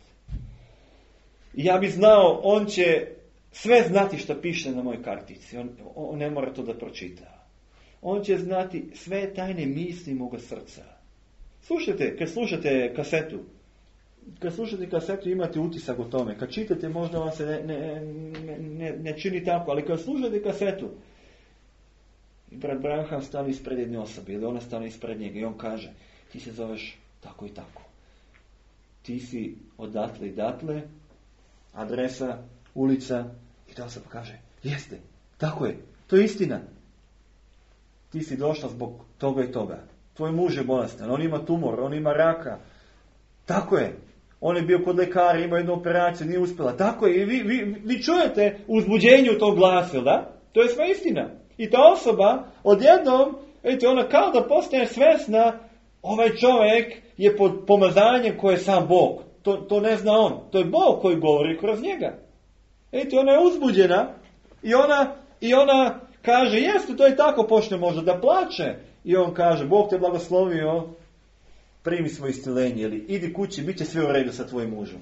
I ja bi znao, on će sve znati što piše na mojoj kartici. On ne mora to da pročita. On će znati sve tajne misli moga srca. Slušajte, kad slušate kasetu imate utisak o tome. Kad čitate možda vam se ne čini tako, ali kad slušate kasetu i brat Branham stane ispred jedne osobe ili ona stane ispred njega i on kaže, ti se zoveš tako i tako. Ti si odatle i datle, adresa, ulica, i ta osoba kaže, jeste, tako je, to je istina. Ti si došla zbog toga i toga. Tvoj muž je bolestan, on ima tumor, on ima raka. Tako je. On je bio kod lekara, ima jednu operaciju, nije uspjela. Tako je. I vi čujete uzbuđenje u tom glasu, da? To je sve istina. I ta osoba odjednom, vidite, ona kao da postane svesna, ovaj čovjek je pod pomazanjem koje je sam Bog. To ne zna on. To je Bog koji govori kroz njega. Vidite, ona je uzbuđena i ona kaže, jeste, to je tako, počne možda da plače. I on kaže, Bog te blagoslovio, primi svoje iscjelenje, ili idi kući, bit će sve u redu sa tvojim mužem.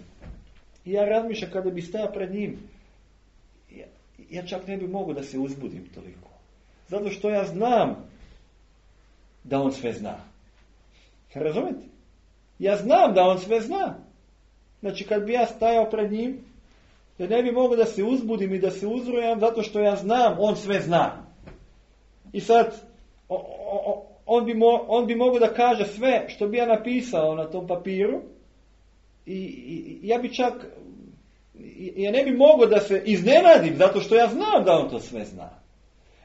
I ja razmišljam kada bi stajao pred njim, ja čak ne bi mogao da se uzbudim toliko. Zato što ja znam da on sve zna. Razumete? Ja znam da on sve zna. Znači kad bi ja stajao pred njim, ja ne bi mogao da se uzbudim i da se uzrujam, zato što ja znam, on sve zna. I sad, on bi mogao da kaže sve što bi ja napisao na tom papiru i ja bi čak, ja ne bi mogao da se iznenadim, zato što ja znam da on to sve zna.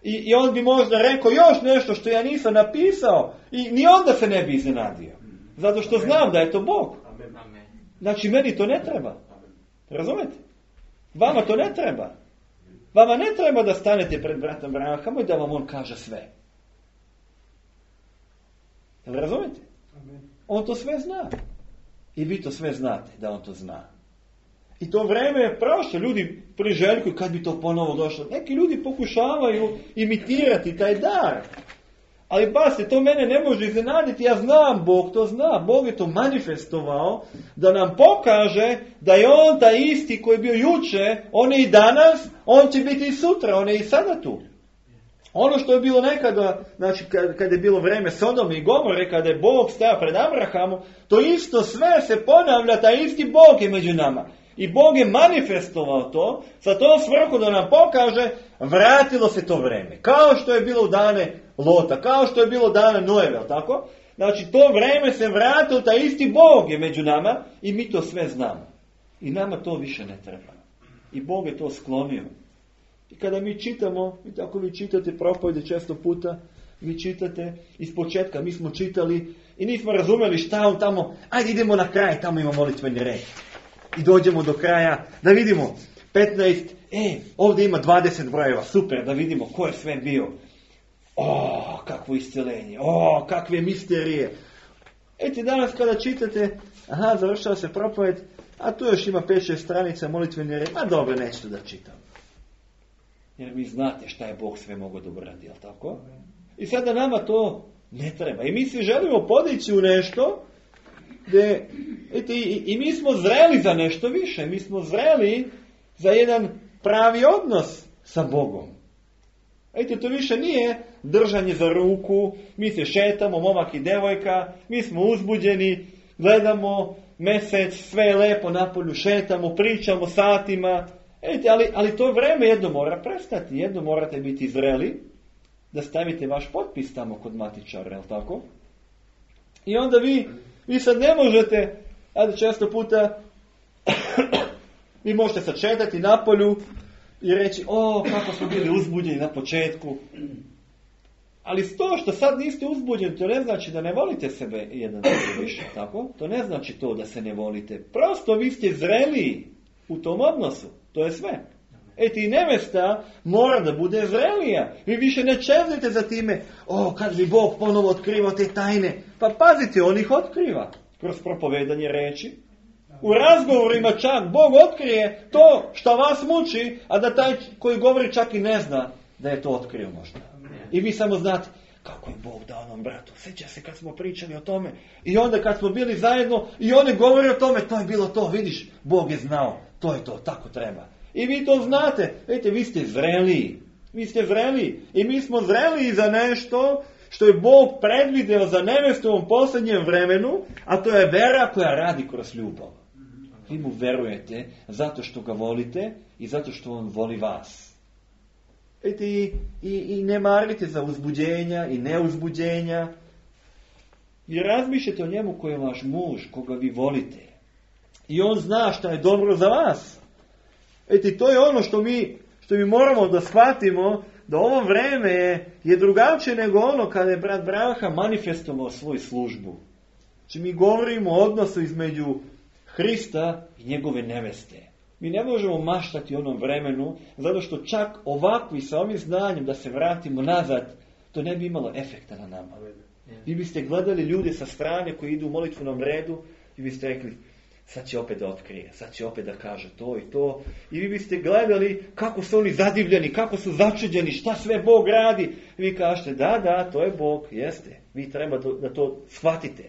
I on bi možda rekao još nešto što ja nisam napisao i ni onda se ne bi iznenadio. Zato što znam da je to Bog. Znači meni to ne treba. Razumete? Vama to ne treba. Vama ne treba da stanete pred bratom Branhamom i da vam on kaže sve. Jel razumete? On to sve zna. I vi to sve znate da on to zna. I to vreme je prošlo. Ljudi priželjkuju kad bi to ponovo došlo. Neki ljudi pokušavaju imitirati taj dar. Ali pazite, to mene ne može iznenaditi. Ja znam, Bog to zna. Bog je to manifestovao da nam pokaže da je on taj isti koji je bio juče, on je i danas, on će biti i sutra, on je i sada tu. Ono što je bilo nekada, znači kad je bilo vreme Sodome i Gomore, kada je Bog stajao pred Abrahamom, to isto sve se ponavlja, taj isti Bog je među nama. I Bog je manifestovao to, sa tom svrhu da nam pokaže, vratilo se to vreme. Kao što je bilo u dane Lota, kao što je bilo dane Noeve, tako? Znači to vreme se vratilo, taj isti Bog je među nama i mi to sve znamo. I nama to više ne treba. I Bog je to sklonio. I kada mi čitamo, i tako vi čitate propovjede često puta, vi čitate iz početka, mi smo čitali i nismo razumjeli šta on tamo, ajde idemo na kraj, tamo ima molitveni red. I dođemo do kraja, da vidimo 15, ovdje ima 20 brojeva, super, da vidimo ko je sve bio. Kakvo isceljenje, kakve misterije. Eti danas kada čitate, završava se propovjed, a tu još ima 5-6 stranica molitveni red, dobro, neću da čitam. Jer vi znate šta je Bog sve mogao da uradi, jel tako? I sada nama to ne treba. I mi svi želimo podići u nešto gdje, i mi smo zreli za nešto više. Mi smo zreli za jedan pravi odnos sa Bogom. Vidite, to više nije držanje za ruku, mi se šetamo, momak i devojka, mi smo uzbuđeni, gledamo mjesec, sve je lepo napolju, šetamo, pričamo satima. Vidite, ali to vreme jedno mora prestati, jedno morate biti zreli, da stavite vaš potpis tamo kod matičara, jel tako? I onda vi sad ne možete, ajde često puta, vi možete sad šetati napolju i reći, kako smo bili uzbuđeni na početku. Ali to što sad niste uzbuđeni, to ne znači da ne volite sebe jedan drugi više, tako? To ne znači to da se ne volite. Prosto vi ste zreliji u tom odnosu. To je sve. I nevesta mora da bude zrelija. Vi više ne čezite za time, kad bi Bog ponovo otkriva te tajne. Pa pazite, on ih otkriva kroz propovedanje reči. U razgovorima čak Bog otkrije to što vas muči, a da taj koji govori čak i ne zna da je to otkrio možda. I vi samo znate kako je Bog dao onom bratu. Sjeća se kad smo pričali o tome. I onda kad smo bili zajedno i oni govori o tome, to je bilo to, vidiš, Bog je znao, to je to, tako treba. I vi to znate, vidite, vi ste zreliji. Vi ste zreliji. I mi smo zreliji za nešto što je Bog predvideo za nevestu u ovom posljednjem vremenu, a to je vera koja radi kroz ljubav. Vi mu verujete zato što ga volite i zato što on voli vas. I ne marite za uzbuđenja i neuzbuđenja. Vi razmišljate o njemu koji je vaš muž, koga vi volite. I on zna šta je dobro za vas. To je ono što mi moramo da shvatimo, da ovo vreme je drugačije nego ono kada je brat Braha manifestovao svoju službu. Znači mi govorimo o odnosu između Hrista i njegove neveste. Mi ne možemo maštati onom vremenu, zato što čak ovakvi sa ovim znanjem da se vratimo nazad, to ne bi imalo efekta na nama. Vi biste gledali ljude sa strane koji idu u molitvenom redu i biste rekli, sad će opet da otkrije, sad će opet da kaže to i to. I vi biste gledali kako su oni zadivljeni, kako su začuđeni, šta sve Bog radi. I vi kažete, da, to je Bog, jeste. Vi treba da to shvatite.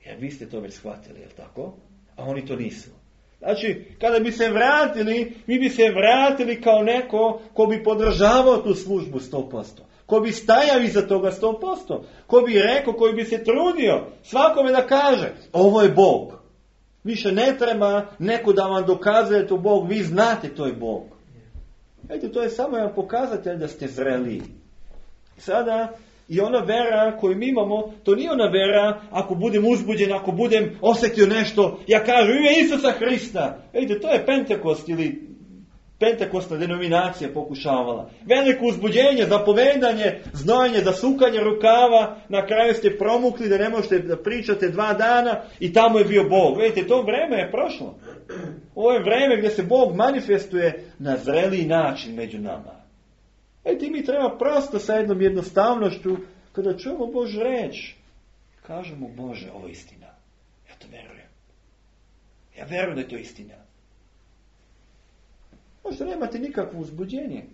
Jer vi ste to već shvatili, jel tako? A oni to nisu. Znači, kada bi se vratili, mi bi se vratili kao neko ko bi podržavao tu službu 100%. Ko bi stajao iza toga 100%. Ko bi rekao, koji bi se trudio svakome da kaže, ovo je Bog. Više ne treba neko da vam dokazuje to Bog, vi znate to je Bog. Vidite, to je samo jedan pokazatelj da ste zreliji. Sada, i ona vera koju mi imamo, to nije ona vera, ako budem uzbuđen, ako budem osjetio nešto, ja kažem ime Isusa Hrista. Vidite, to je Pentekost ili Pentekostna denominacija pokušavala. Veliko uzbuđenje, zapovedanje, znojenje, zasukanje rukava, na kraju ste promukli da ne možete da pričate 2 dana i tamo je bio Bog. Vidite, to vreme je prošlo. Ovo je vreme gdje se Bog manifestuje na zreliji način među nama. Vidite, mi treba prosto sa jednom jednostavnošću, kada čujemo Božju reč, kažemo, Bože, ovo je istina. Ja to verujem. Ja verujem da je to istina. Možda nemate nikakvo uzbuđenje.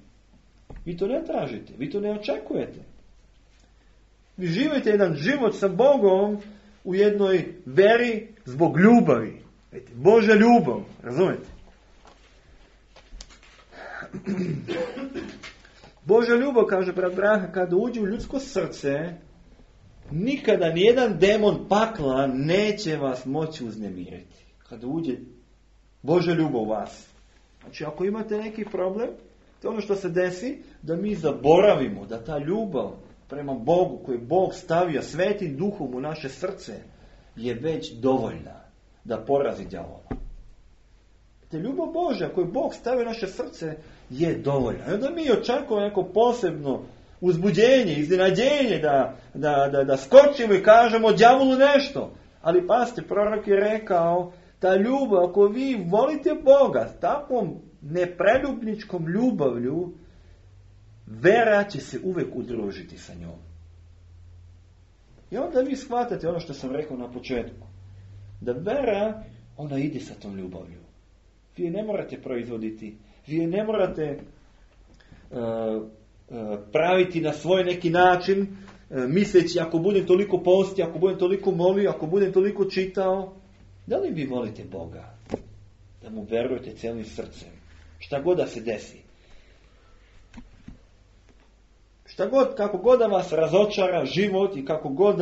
Vi to ne tražite, vi to ne očekujete. Vi živite jedan život sa Bogom u jednoj veri zbog ljubavi. Božja ljubav, razumete? Božja ljubav, kaže brat Braha, kada uđe u ljudsko srce, nikada nijedan demon pakla neće vas moći uznemiriti. Kada uđe Božja ljubav u vas. Znači, ako imate neki problem, to je ono što se desi, da mi zaboravimo da ta ljubav prema Bogu, koju Bog stavio svetim duhom u naše srce, je već dovoljna da porazi đavola. Te ljubav Božja koju Bog stavio u naše srce je dovoljna. I onda mi očekujemo neko posebno uzbuđenje, iznenađenje, da skočimo i kažemo đavolu nešto. Ali pazite, prorok je rekao, ta ljubav, ako vi volite Boga s takvom nepreljubničkom ljubavlju, vera će se uvek udružiti sa njom. I onda vi shvatate ono što sam rekao na početku. Da vera, ona ide sa tom ljubavlju. Vi je ne morate proizvoditi. Vi je ne morate praviti na svoj neki način, misleći ako budem toliko postio, ako budem toliko molio, ako budem toliko čitao. Da li vi volite Boga? Da mu verujete cijelim srcem. Šta god da se desi. kako god da vas razočara život i kako god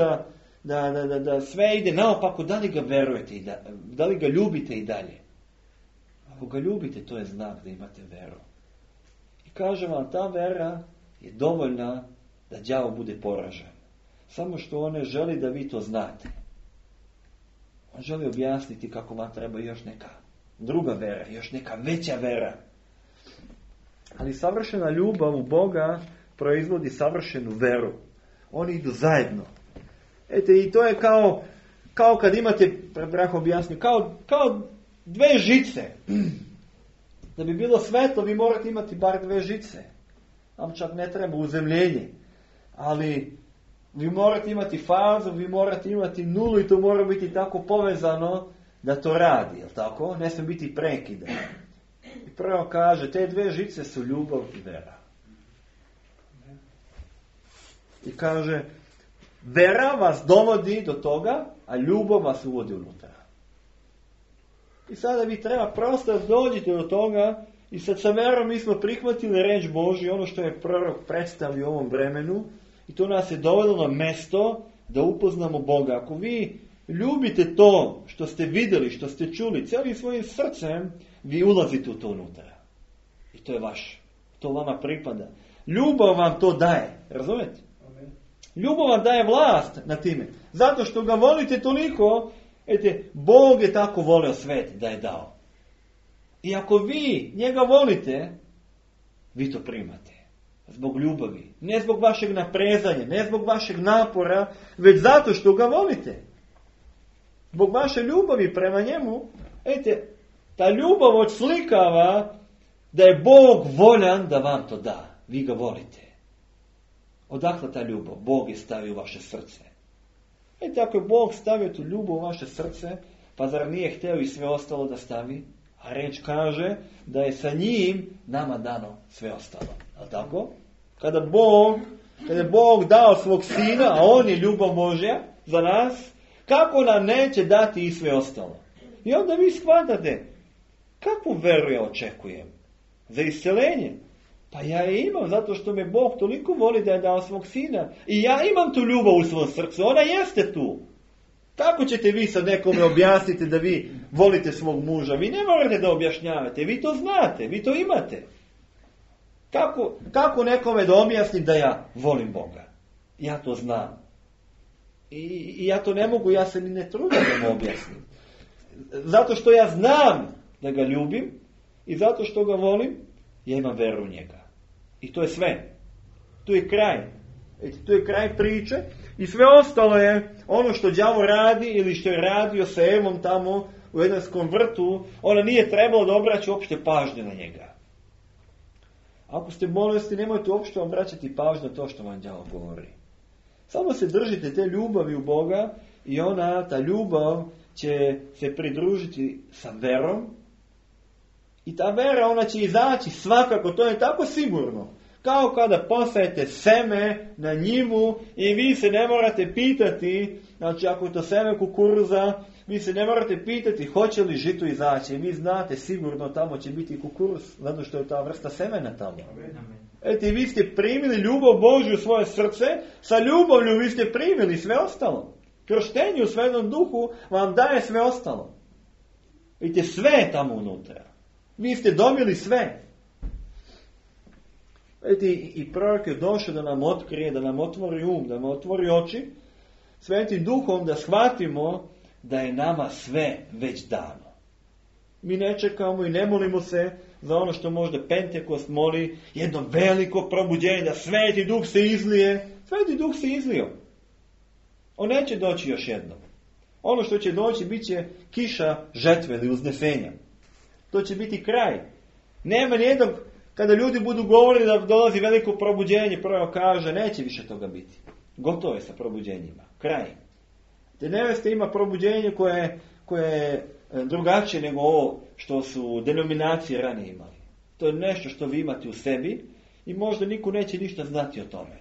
da sve ide naopako, da li ga verujete i da li ga ljubite i dalje. Ako ga ljubite, to je znak da imate veru. I kažem vam, ta vera je dovoljna da đavo bude poražen. Samo što on ne želi da vi to znate. On želi objasniti kako vam treba još neka druga vera, još neka veća vera. Ali savršena ljubav u Boga proizvodi savršenu veru. Oni idu zajedno. I to je kao kad imate, brak objasnio, kao dve žice. Da bi bilo svetlo, vi morate imati bar dve žice. Vam čak ne treba uzemljenje. Ali vi morate imati fazu, vi morate imati nulu i to mora biti tako povezano da to radi, jel tako? Ne smije biti prekida. I prvo kaže, te dve žice su ljubav i vera. I kaže, vera vas dovodi do toga, a ljubav vas uvodi unutra. I sada vi treba prosto dođite do toga i sad sa verom mi smo prihvatili reč Božju, ono što je prorok predstavio u ovom vremenu, i to nas je dovoljno na mesto da upoznamo Boga. Ako vi ljubite to što ste vidjeli, što ste čuli, cijelim svojim srcem, vi ulazite u to unutra. I to je vaš. To vama pripada. Ljubav vam to daje. Razumete? Ljubav vam daje vlast na time. Zato što ga volite toliko, Bog je tako volio svet da je dao. I ako vi njega volite, vi to primate. Zbog ljubavi. Ne zbog vašeg naprezanja, ne zbog vašeg napora, već zato što ga volite. Zbog vaše ljubavi prema njemu, ta ljubav odslikava da je Bog voljan da vam to da. Vi ga volite. Odakle ta ljubav? Bog je stavio u vaše srce. Ako je Bog stavio tu ljubav u vaše srce, pa zar nije htio i sve ostalo da stavi? A reč kaže da je sa njim nama dano sve ostalo. Ali tako? Kada je Bog dao svog sina, a on je ljubav Božja za nas, kako nam neće dati i sve ostalo? I onda vi shvatate, kakvu veru ja očekujem? Za isceljenje? Pa ja je imam, zato što me Bog toliko voli da je dao svog sina. I ja imam tu ljubav u svom srcu, ona jeste tu. Kako ćete vi sad nekome objasniti da vi volite svog muža? Vi ne morate da objašnjavate, vi to znate, vi to imate. Kako nekome da objasnim da ja volim Boga? Ja to znam. I ja to ne mogu, ja se ni ne trudim da mu objasnim. Zato što ja znam da ga ljubim i zato što ga volim, ja imam veru u njega. I to je sve. Tu je kraj. Tu je kraj priče i sve ostalo je ono što đavo radi ili što je radio sa Evom tamo u Edenskom vrtu, ona nije trebalo da obraća uopšte pažnju na njega. Ako ste bolesni, nemojte uopšte obraćati pažnju na to što vam đavo govori. Samo se držite te ljubavi u Boga i ta ljubav će se pridružiti sa verom. I ta vera, ona će izaći svakako, to je tako sigurno. Kao kada posajete seme na njivu i vi se ne morate pitati, znači ako je to seme kukuruza, vi se ne morate pitati hoće li žito izaći. Vi znate sigurno tamo će biti kukuruz, zato što je ta vrsta semena tamo. Vi ste primili ljubav Božju u svoje srce, sa ljubavlju vi ste primili sve ostalo. Krštenje u Svetom Duhu vam daje sve ostalo. Vidite, sve je tamo unutra. Vi ste dobili sve. I prorok je došao da nam otkrije, da nam otvori da nam otvori oči, Svetim Duhom da shvatimo da je nama sve već dano. Mi ne čekamo i ne molimo se za ono što možda Pentekost moli, jedno veliko probuđenje, da Sveti Duh se izlije. Sveti Duh se izlio. On neće doći još jednom. Ono što će doći bit će kiša žetve ili uznesenja. To će biti kraj. Nema nijednog, kada ljudi budu govorili da dolazi veliko probuđenje, prvo kaže, neće više toga biti. Gotovo je sa probuđenjima. Kraj. Te neveste ima probuđenje koje je drugačije nego ovo što su denominacije ranije imali. To je nešto što vi imate u sebi i možda niko neće ništa znati o tome.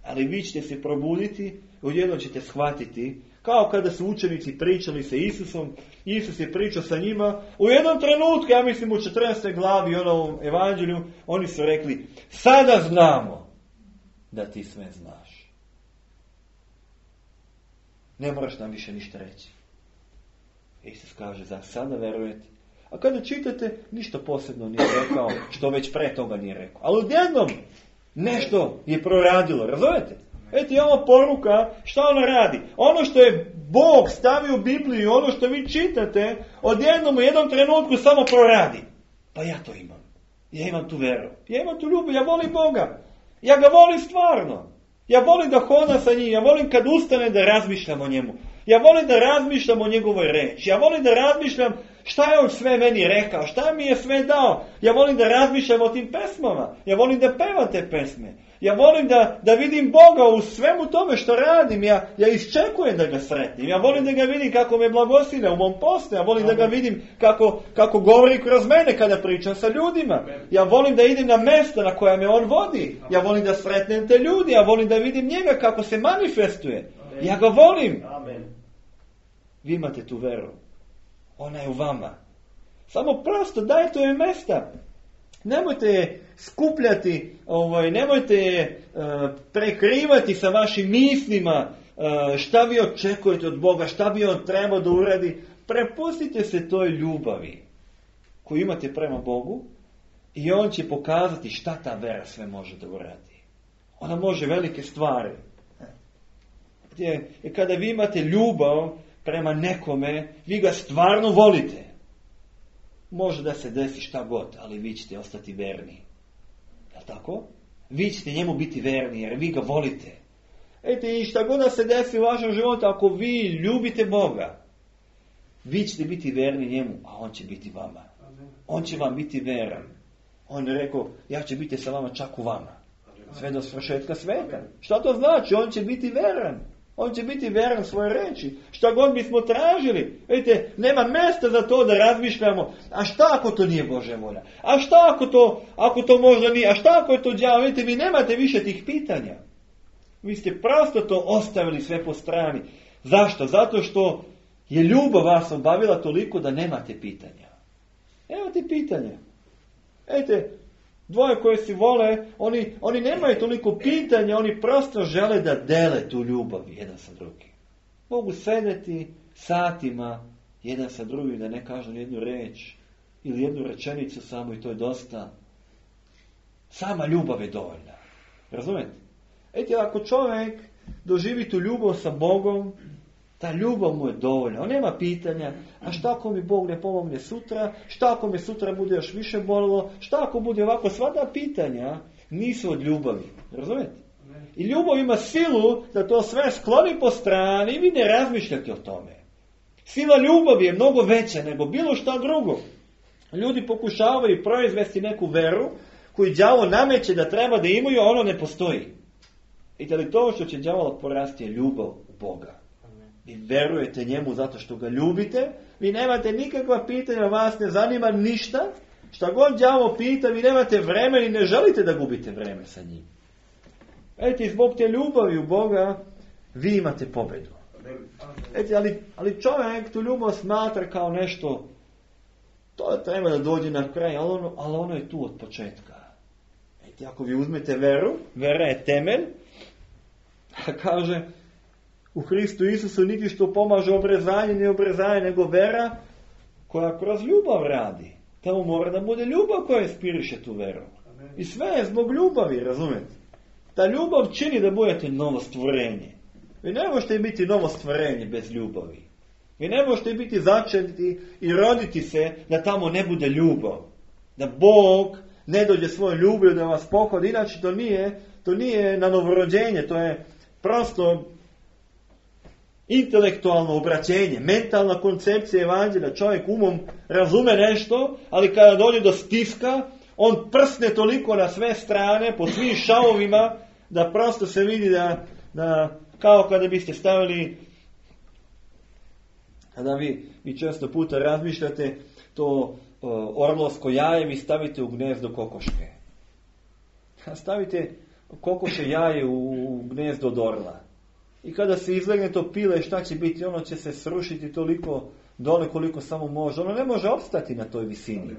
Ali vi ćete se probuditi, odjednom ćete shvatiti, kao kada su učenici pričali sa Isusom, Isus je pričao sa njima, u jednom trenutku, ja mislim u 14. glavi onom evanđelju, oni su rekli, sada znamo da ti sve znaš. Ne moraš nam više ništa reći. Isus kaže, za sada verujete. A kada čitate, ništa posebno nije rekao, što već pre toga nije rekao. Ali odjednom nešto je proradilo, razumete? Eto je ova poruka, šta ona radi? Ono što je Bog stavio u Bibliju, ono što vi čitate, odjednom u jednom trenutku samo proradi. Pa ja to imam. Ja imam tu veru. Ja imam tu ljubav, ja volim Boga. Ja ga volim stvarno. Ja volim da hodam sa njim, ja volim kad ustane da razmišljam o njemu. Ja volim da razmišljam o njegovoj reči. Ja volim da razmišljam šta je on sve meni rekao, šta mi je sve dao. Ja volim da razmišljam o tim pesmama. Ja volim da pevam te pesme. Ja volim da vidim Boga u svemu tome što radim. Ja iščekujem da ga sretnim. Ja volim da ga vidim kako me blagoslivlja u mom poslu. Ja volim da ga vidim kako govori kroz mene kada pričam sa ljudima. Ja volim da idem na mjesto na koja me on vodi. Ja volim da sretnem te ljudi. Ja volim da vidim njega kako se manifestuje. Ja ga volim. Vi imate tu veru. Ona je u vama. Samo prosto dajte joj mjesta. Nemojte je skupljati, nemojte je prekrivati sa vašim mislima, šta vi očekujete od Boga, šta bi on trebao da uradi. Prepustite se toj ljubavi koju imate prema Bogu i on će pokazati šta ta vera sve može da uradi. Ona može velike stvari. Kada vi imate ljubav prema nekome, vi ga stvarno volite. Može da se desi šta god, ali vi ćete ostati verni. Je li tako? Vi ćete njemu biti verni, jer vi ga volite. I šta god da se desi u vašem životu, ako vi ljubite Boga, vi ćete biti verni njemu, a on će biti vama. On će vam biti veran. On je rekao, ja ću biti sa vama čak u vama. Sve do svršetka sveta. Šta to znači? On će biti veran. On će biti veran svoje reči. Šta god bismo tražili. Vidite, nema mjesta za to da razmišljamo. A šta ako to nije Božja volja? A šta ako to možda nije? A šta ako je to đavo? Vidite, vi nemate više tih pitanja. Vi ste prosto to ostavili sve po strani. Zašto? Zato što je ljubav vas obavila toliko da nemate pitanja. Nemate pitanja. Vidite, dvoje koje si vole, oni nemaju toliko pitanja, oni prosto žele da dele tu ljubav jedan sa drugim. Mogu sedeti satima jedan sa drugim da ne kažu jednu reč ili jednu rečenicu samo i to je dosta. Sama ljubav je dovoljna. Razumete? Ako čovjek doživi tu ljubav sa Bogom, ta ljubav mu je dovoljna. On nema pitanja, a šta ako mi Bog ne pomogne sutra, šta ako me sutra bude još više bolilo, šta ako bude ovako, sva ta pitanja nisu od ljubavi. Razumijete? I ljubav ima silu da to sve skloni po strani i vi ne razmišljate o tome. Sila ljubavi je mnogo veća nego bilo šta drugo. Ljudi pokušavaju proizvesti neku veru koju đavo nameće da treba da imaju, a ono ne postoji. I ali to što će đavola porasti je ljubav u Boga. Vi verujete njemu zato što ga ljubite, vi nemate nikakva pitanja, vas ne zanima ništa, šta god đavo pita, vi nemate vremena i ne želite da gubite vreme sa njim. Zbog te ljubavi u Boga, vi imate pobedu. Ali čovjek tu ljubav smatra kao nešto, to treba da dođe na kraj, ali ono je tu od početka. Ako vi uzmete veru, vera je temelj, kaže, u Hristu Isusu niti što pomaže obrezanje, ne obrezanje, nego vera koja kroz ljubav radi. Tamo mora da bude ljubav koja inspiriše tu veru. I sve je zbog ljubavi, razumete? Ta ljubav čini da budete novo stvorenje. Vi ne možete biti novo stvorenje bez ljubavi. Vi ne možete biti začeti i roditi se da tamo ne bude ljubav. Da Bog ne dođe svojom ljubavlju da vas pohodi. Inače to nije na novorođenje, to je prosto intelektualno obraćenje, mentalna koncepcija evanđelja. Čovjek umom razume nešto, ali kada dođe do stiska, on prsne toliko na sve strane, po svim šavovima, da prosto se vidi da kao kada biste stavili, kada vi često puta razmišljate, to orlovsko jaje vi stavite u gnezdo kokoške. Stavite kokoše jaje u gnezdo od orla. I kada se izlegne to pile, šta će biti? Ono će se srušiti toliko dole koliko samo može. Ono ne može opstati na toj visini.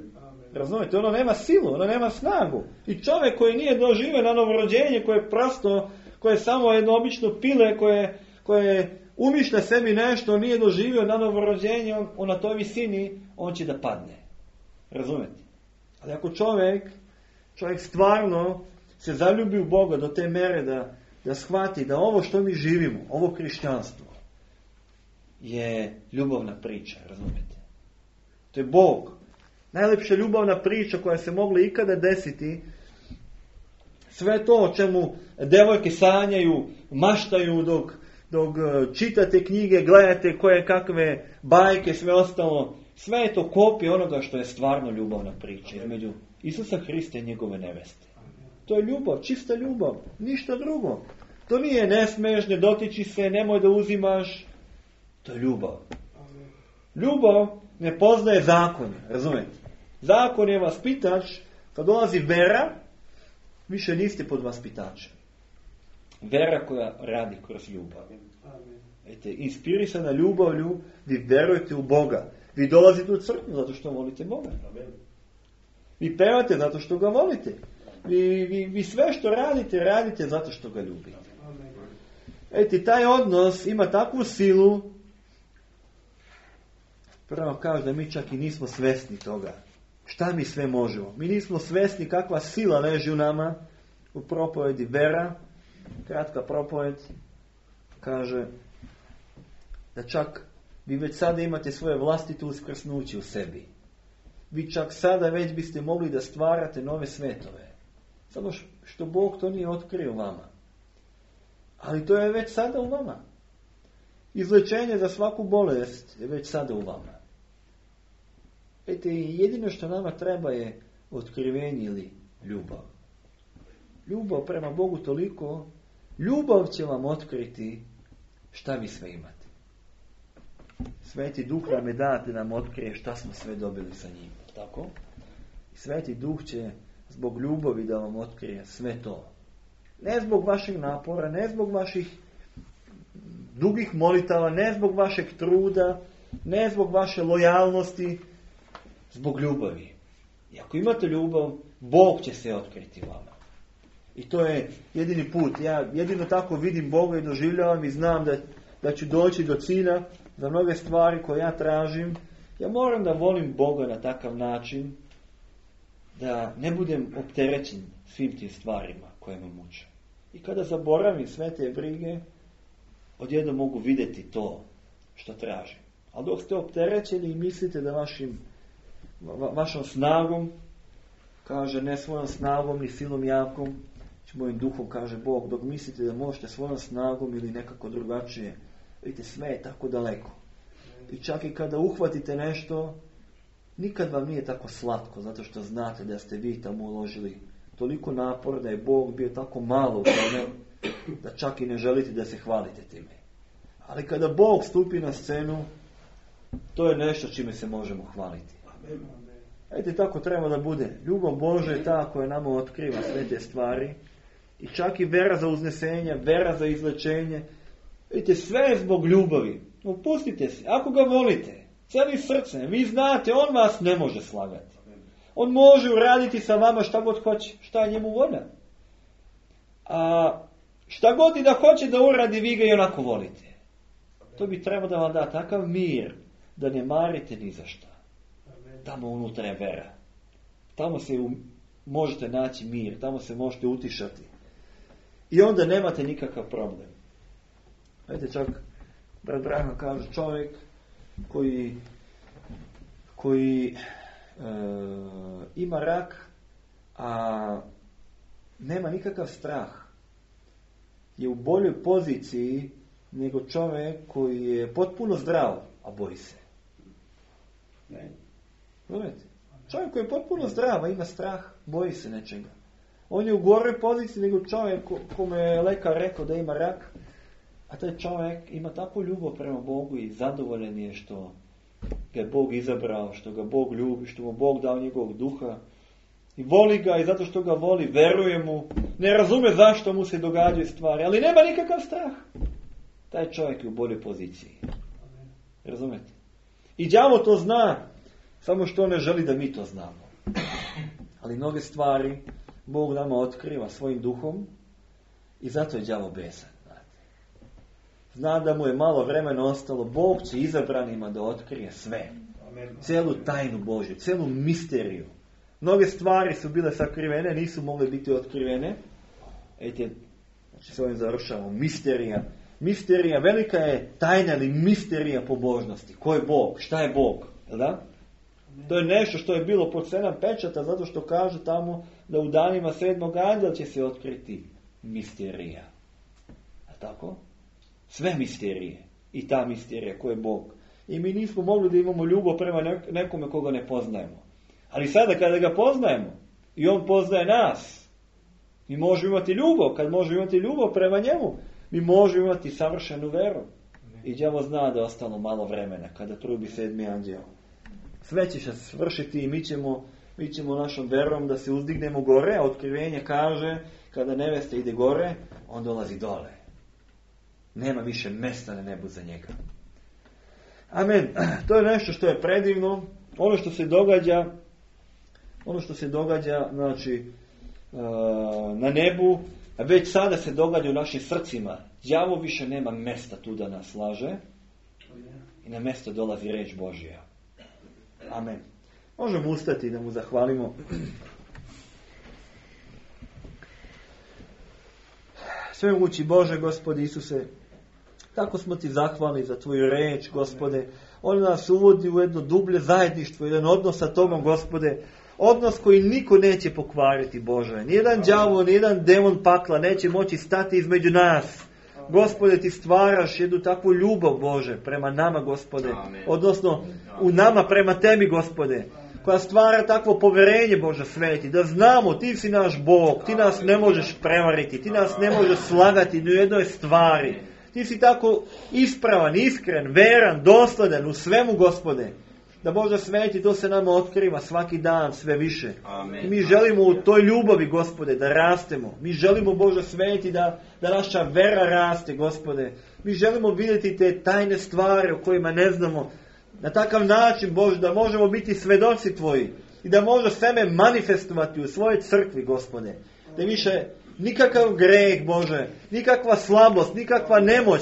Razumijete? Ono nema silu, ono nema snagu. I čovjek koji nije doživio na novorođenje, koje je prosto, koje je samo jedno obično pile, koje umišlja sebi nešto, nije doživio na novorođenje, on na toj visini, on će da padne. Razumijete? Ali ako čovjek stvarno se zaljubi u Boga do te mere da shvati da ovo što mi živimo, ovo hrišćanstvo, je ljubavna priča, razumijete? To je Bog. Najlepša ljubavna priča koja se mogla ikada desiti. Sve to o čemu devojke sanjaju, maštaju dok čitate knjige, gledate koje kakve bajke, sve ostalo. Sve je to kopija onoga što je stvarno ljubavna priča između Isusa Hrista i njegove neveste. To je ljubav, čista ljubav, ništa drugo. To nije ne smiješ, ne dotiči se, nemoj da uzimaš. To je ljubav. Ljubav ne poznaje zakone, razumijete? Zakon je vaspitač, kad dolazi vera, više niste pod vaspitačem. Vera koja radi kroz ljubav. Inspirisana ljubavlju, vi verujete u Boga. Vi dolazite u crkvu zato što volite Boga. Vi pevate zato što ga volite. Vi sve što radite zato što ga ljubite. Taj odnos ima takvu silu, prvo kaže da mi čak i nismo svesni toga. Šta mi sve možemo? Mi nismo svesni kakva sila leži u nama. U propovedi vera, kratka propoved, kaže da čak vi već sada imate svoje vlastito uskrsnuće u sebi. Vi čak sada već biste mogli da stvarate nove svetove. Samo što Bog to nije otkrio vama. Ali to je već sada u vama. Izlečenje za svaku bolest je već sada u vama. Jedino što nama treba je otkrivenje ili ljubav. Ljubav prema Bogu toliko, ljubav će vam otkriti šta vi sve imate. Sveti Duh nam je date da nam otkrije šta smo sve dobili sa njim. Tako? I Sveti Duh će zbog ljubavi da vam otkrije sve to. Ne zbog vašeg napora, ne zbog vaših dugih molitava, ne zbog vašeg truda, ne zbog vaše lojalnosti, zbog ljubavi. I ako imate ljubav, Bog će se otkriti vama. I to je jedini put. Ja jedino tako vidim Boga i doživljavam i znam da ću doći do cilja za mnoge stvari koje ja tražim. Ja moram da volim Boga na takav način da ne budem opterećen svim tim stvarima koje me muče. I kada zaboravim sve te brige, odjednom mogu vidjeti to što tražim. Ali dok ste opterećeni i mislite da vašom snagom, kaže ne svojom snagom ni silom jakom, mojim duhom, kaže Bog, dok mislite da možete svojom snagom ili nekako drugačije, vidite, sve je tako daleko. I čak i kada uhvatite nešto, nikad vam nije tako slatko, zato što znate da ste vi tamo uložili toliko napora, da je Bog bio tako malo u tome, da čak i ne želite da se hvalite time. Ali kada Bog stupi na scenu, to je nešto čime se možemo hvaliti. Vidite, tako treba da bude. Ljubav Božja je ta koja nama otkriva sve te stvari. I čak i vera za uznesenje, vera za izlečenje. Vidite, sve je zbog ljubavi. Opustite se. Ako ga volite, cijelim srcem, vi znate, on vas ne može slagati. On može uraditi sa vama šta god hoće. Šta je njemu volja? A šta god i da hoće da uradi, vi ga i onako volite. To bi trebalo da vam da takav mir, da ne marite ni za šta. Tamo unutra je vera. Tamo se možete naći mir, tamo se možete utišati. I onda nemate nikakav problem. Vidite, čak brat Branham kaže, čovjek koji ima rak, a nema nikakav strah, je u boljoj poziciji nego čovjek koji je potpuno zdrav, a boji se. Ne. Razumijete? Čovjek koji je potpuno zdrav, a ima strah, boji se nečega. On je u goroj poziciji nego čovjek kome je lekar rekao da ima rak, a taj čovjek ima takvu ljubav prema Bogu i zadovoljen je što ga je Bog izabrao, što ga Bog ljubi, što mu Bog dao njegovog duha. I voli ga i zato što ga voli, veruje mu, ne razume zašto mu se događaju stvari, ali nema nikakav strah. Taj čovjek je u boljoj poziciji. Razumete? I đavo to zna, samo što ne želi da mi to znamo. Ali mnoge stvari Bog nama otkriva svojim duhom i zato je đavo besan. Zna da mu je malo vremena ostalo, Bog će izabranima da otkrije sve. Celu tajnu Božju, celu misteriju. Mnoge stvari su bile sakrivene, nisu mogle biti otkrivene. Ejte, znači s ovim završavamo. Misterija. Misterija, velika je tajna ili misterija pobožnosti. Ko je Bog? Šta je Bog? Da? To je nešto što je bilo pod 7 pečata, zato što kaže tamo da u danima 7. anđela će se otkriti misterija. A tako? Sve misterije. I ta misterija, ko je Bog. I mi nismo mogli da imamo ljubav prema nekome koga ne poznajemo. Ali sada kada ga poznajemo i on poznaje nas, mi možemo imati ljubav. Kad možemo imati ljubav prema njemu, mi možemo imati savršenu veru. I đavo zna da je ostalo malo vremena kada trubi 7. anđeo. Sve će se svršiti i mi ćemo našom verom da se uzdignemo gore. A otkrivenje kaže, kada nevesta ide gore, on dolazi dole. Nema više mesta na nebu za njega. Amen. To je nešto što je predivno. Ono što se događa, znači, na nebu, već sada se događa u našim srcima. Đavo više nema mesta tu da nas laže. I na mjesto dolazi reč Božja. Amen. Možemo ustati da mu zahvalimo. Svemogući Bože, Gospode Isuse, tako smo ti zahvalni za tvoju reč, Gospode. On nas uvodi u jedno dublje zajedništvo, jedan odnos sa Tobom, Gospode. Odnos koji niko neće pokvariti, Bože. Nijedan đavo, nijedan demon pakla neće moći stati između nas. Gospode, ti stvaraš jednu takvu ljubav, Bože, prema nama, Gospode. Odnosno, u nama prema tebi, Gospode. Koja stvara takvo poverenje, Bože sveti. Da znamo, ti si naš Bog. Ti nas ne možeš prevariti. Ti nas ne možeš slagati ni u jednoj stvari. Ti si tako ispravan, iskren, veran, dosledan u svemu, Gospode. Da Bože sveti, to se nama otkriva svaki dan sve više. Amen. Mi želimo u toj ljubavi, Gospode, da rastemo. Mi želimo, Bože sveti, da naša vera raste, Gospode. Mi želimo vidjeti te tajne stvari o kojima ne znamo. Na takav način, Bože, da možemo biti svedoci Tvoji. I da može sebe manifestovati u svojoj crkvi, Gospode. Da više nikakav greh, Bože, nikakva slabost, nikakva nemoć,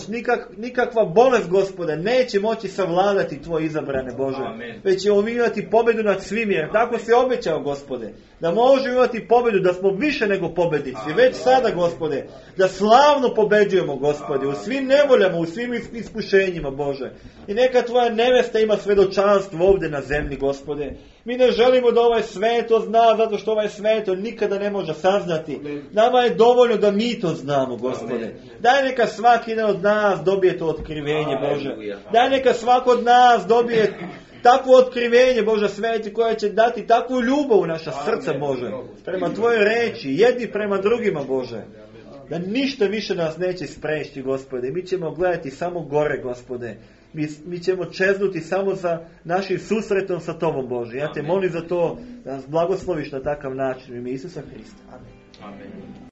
nikakva bolest, Gospode, neće moći savladati Tvoje izabrane, Bože. Amen. Već ćemo imati pobjedu nad svim, jer tako si obećao, Gospode, da možemo imati pobjedu, da smo više nego pobjednici. Već sada, Gospode, da slavno pobeđujemo, Gospode, u svim nevoljama, u svim iskušenjima, Bože. I neka Tvoja nevesta ima svedočanstvo ovdje na zemlji, Gospode. Mi ne želimo da ovaj sveto zna, zato što ovaj sveto nikada ne može saznati. Nama je dovoljno da mi to znamo, Gospode. Daj neka svaki jedan od nas dobije to otkrivenje, Bože. Daj neka svako od nas dobije takvo otkrivenje, Bože sveti, koja će dati takvu ljubav u naša srca, Bože. Prema Tvojoj reči, jedni prema drugima, Bože. Da ništa više nas neće sprečiti, Gospode. Mi ćemo gledati samo gore, Gospode. Mi ćemo čeznuti samo za našim susretom sa Tobom, Bože. Ja te molim za to da nas blagosloviš na takav način. U ime Isusa Hrista. Amen. Amen.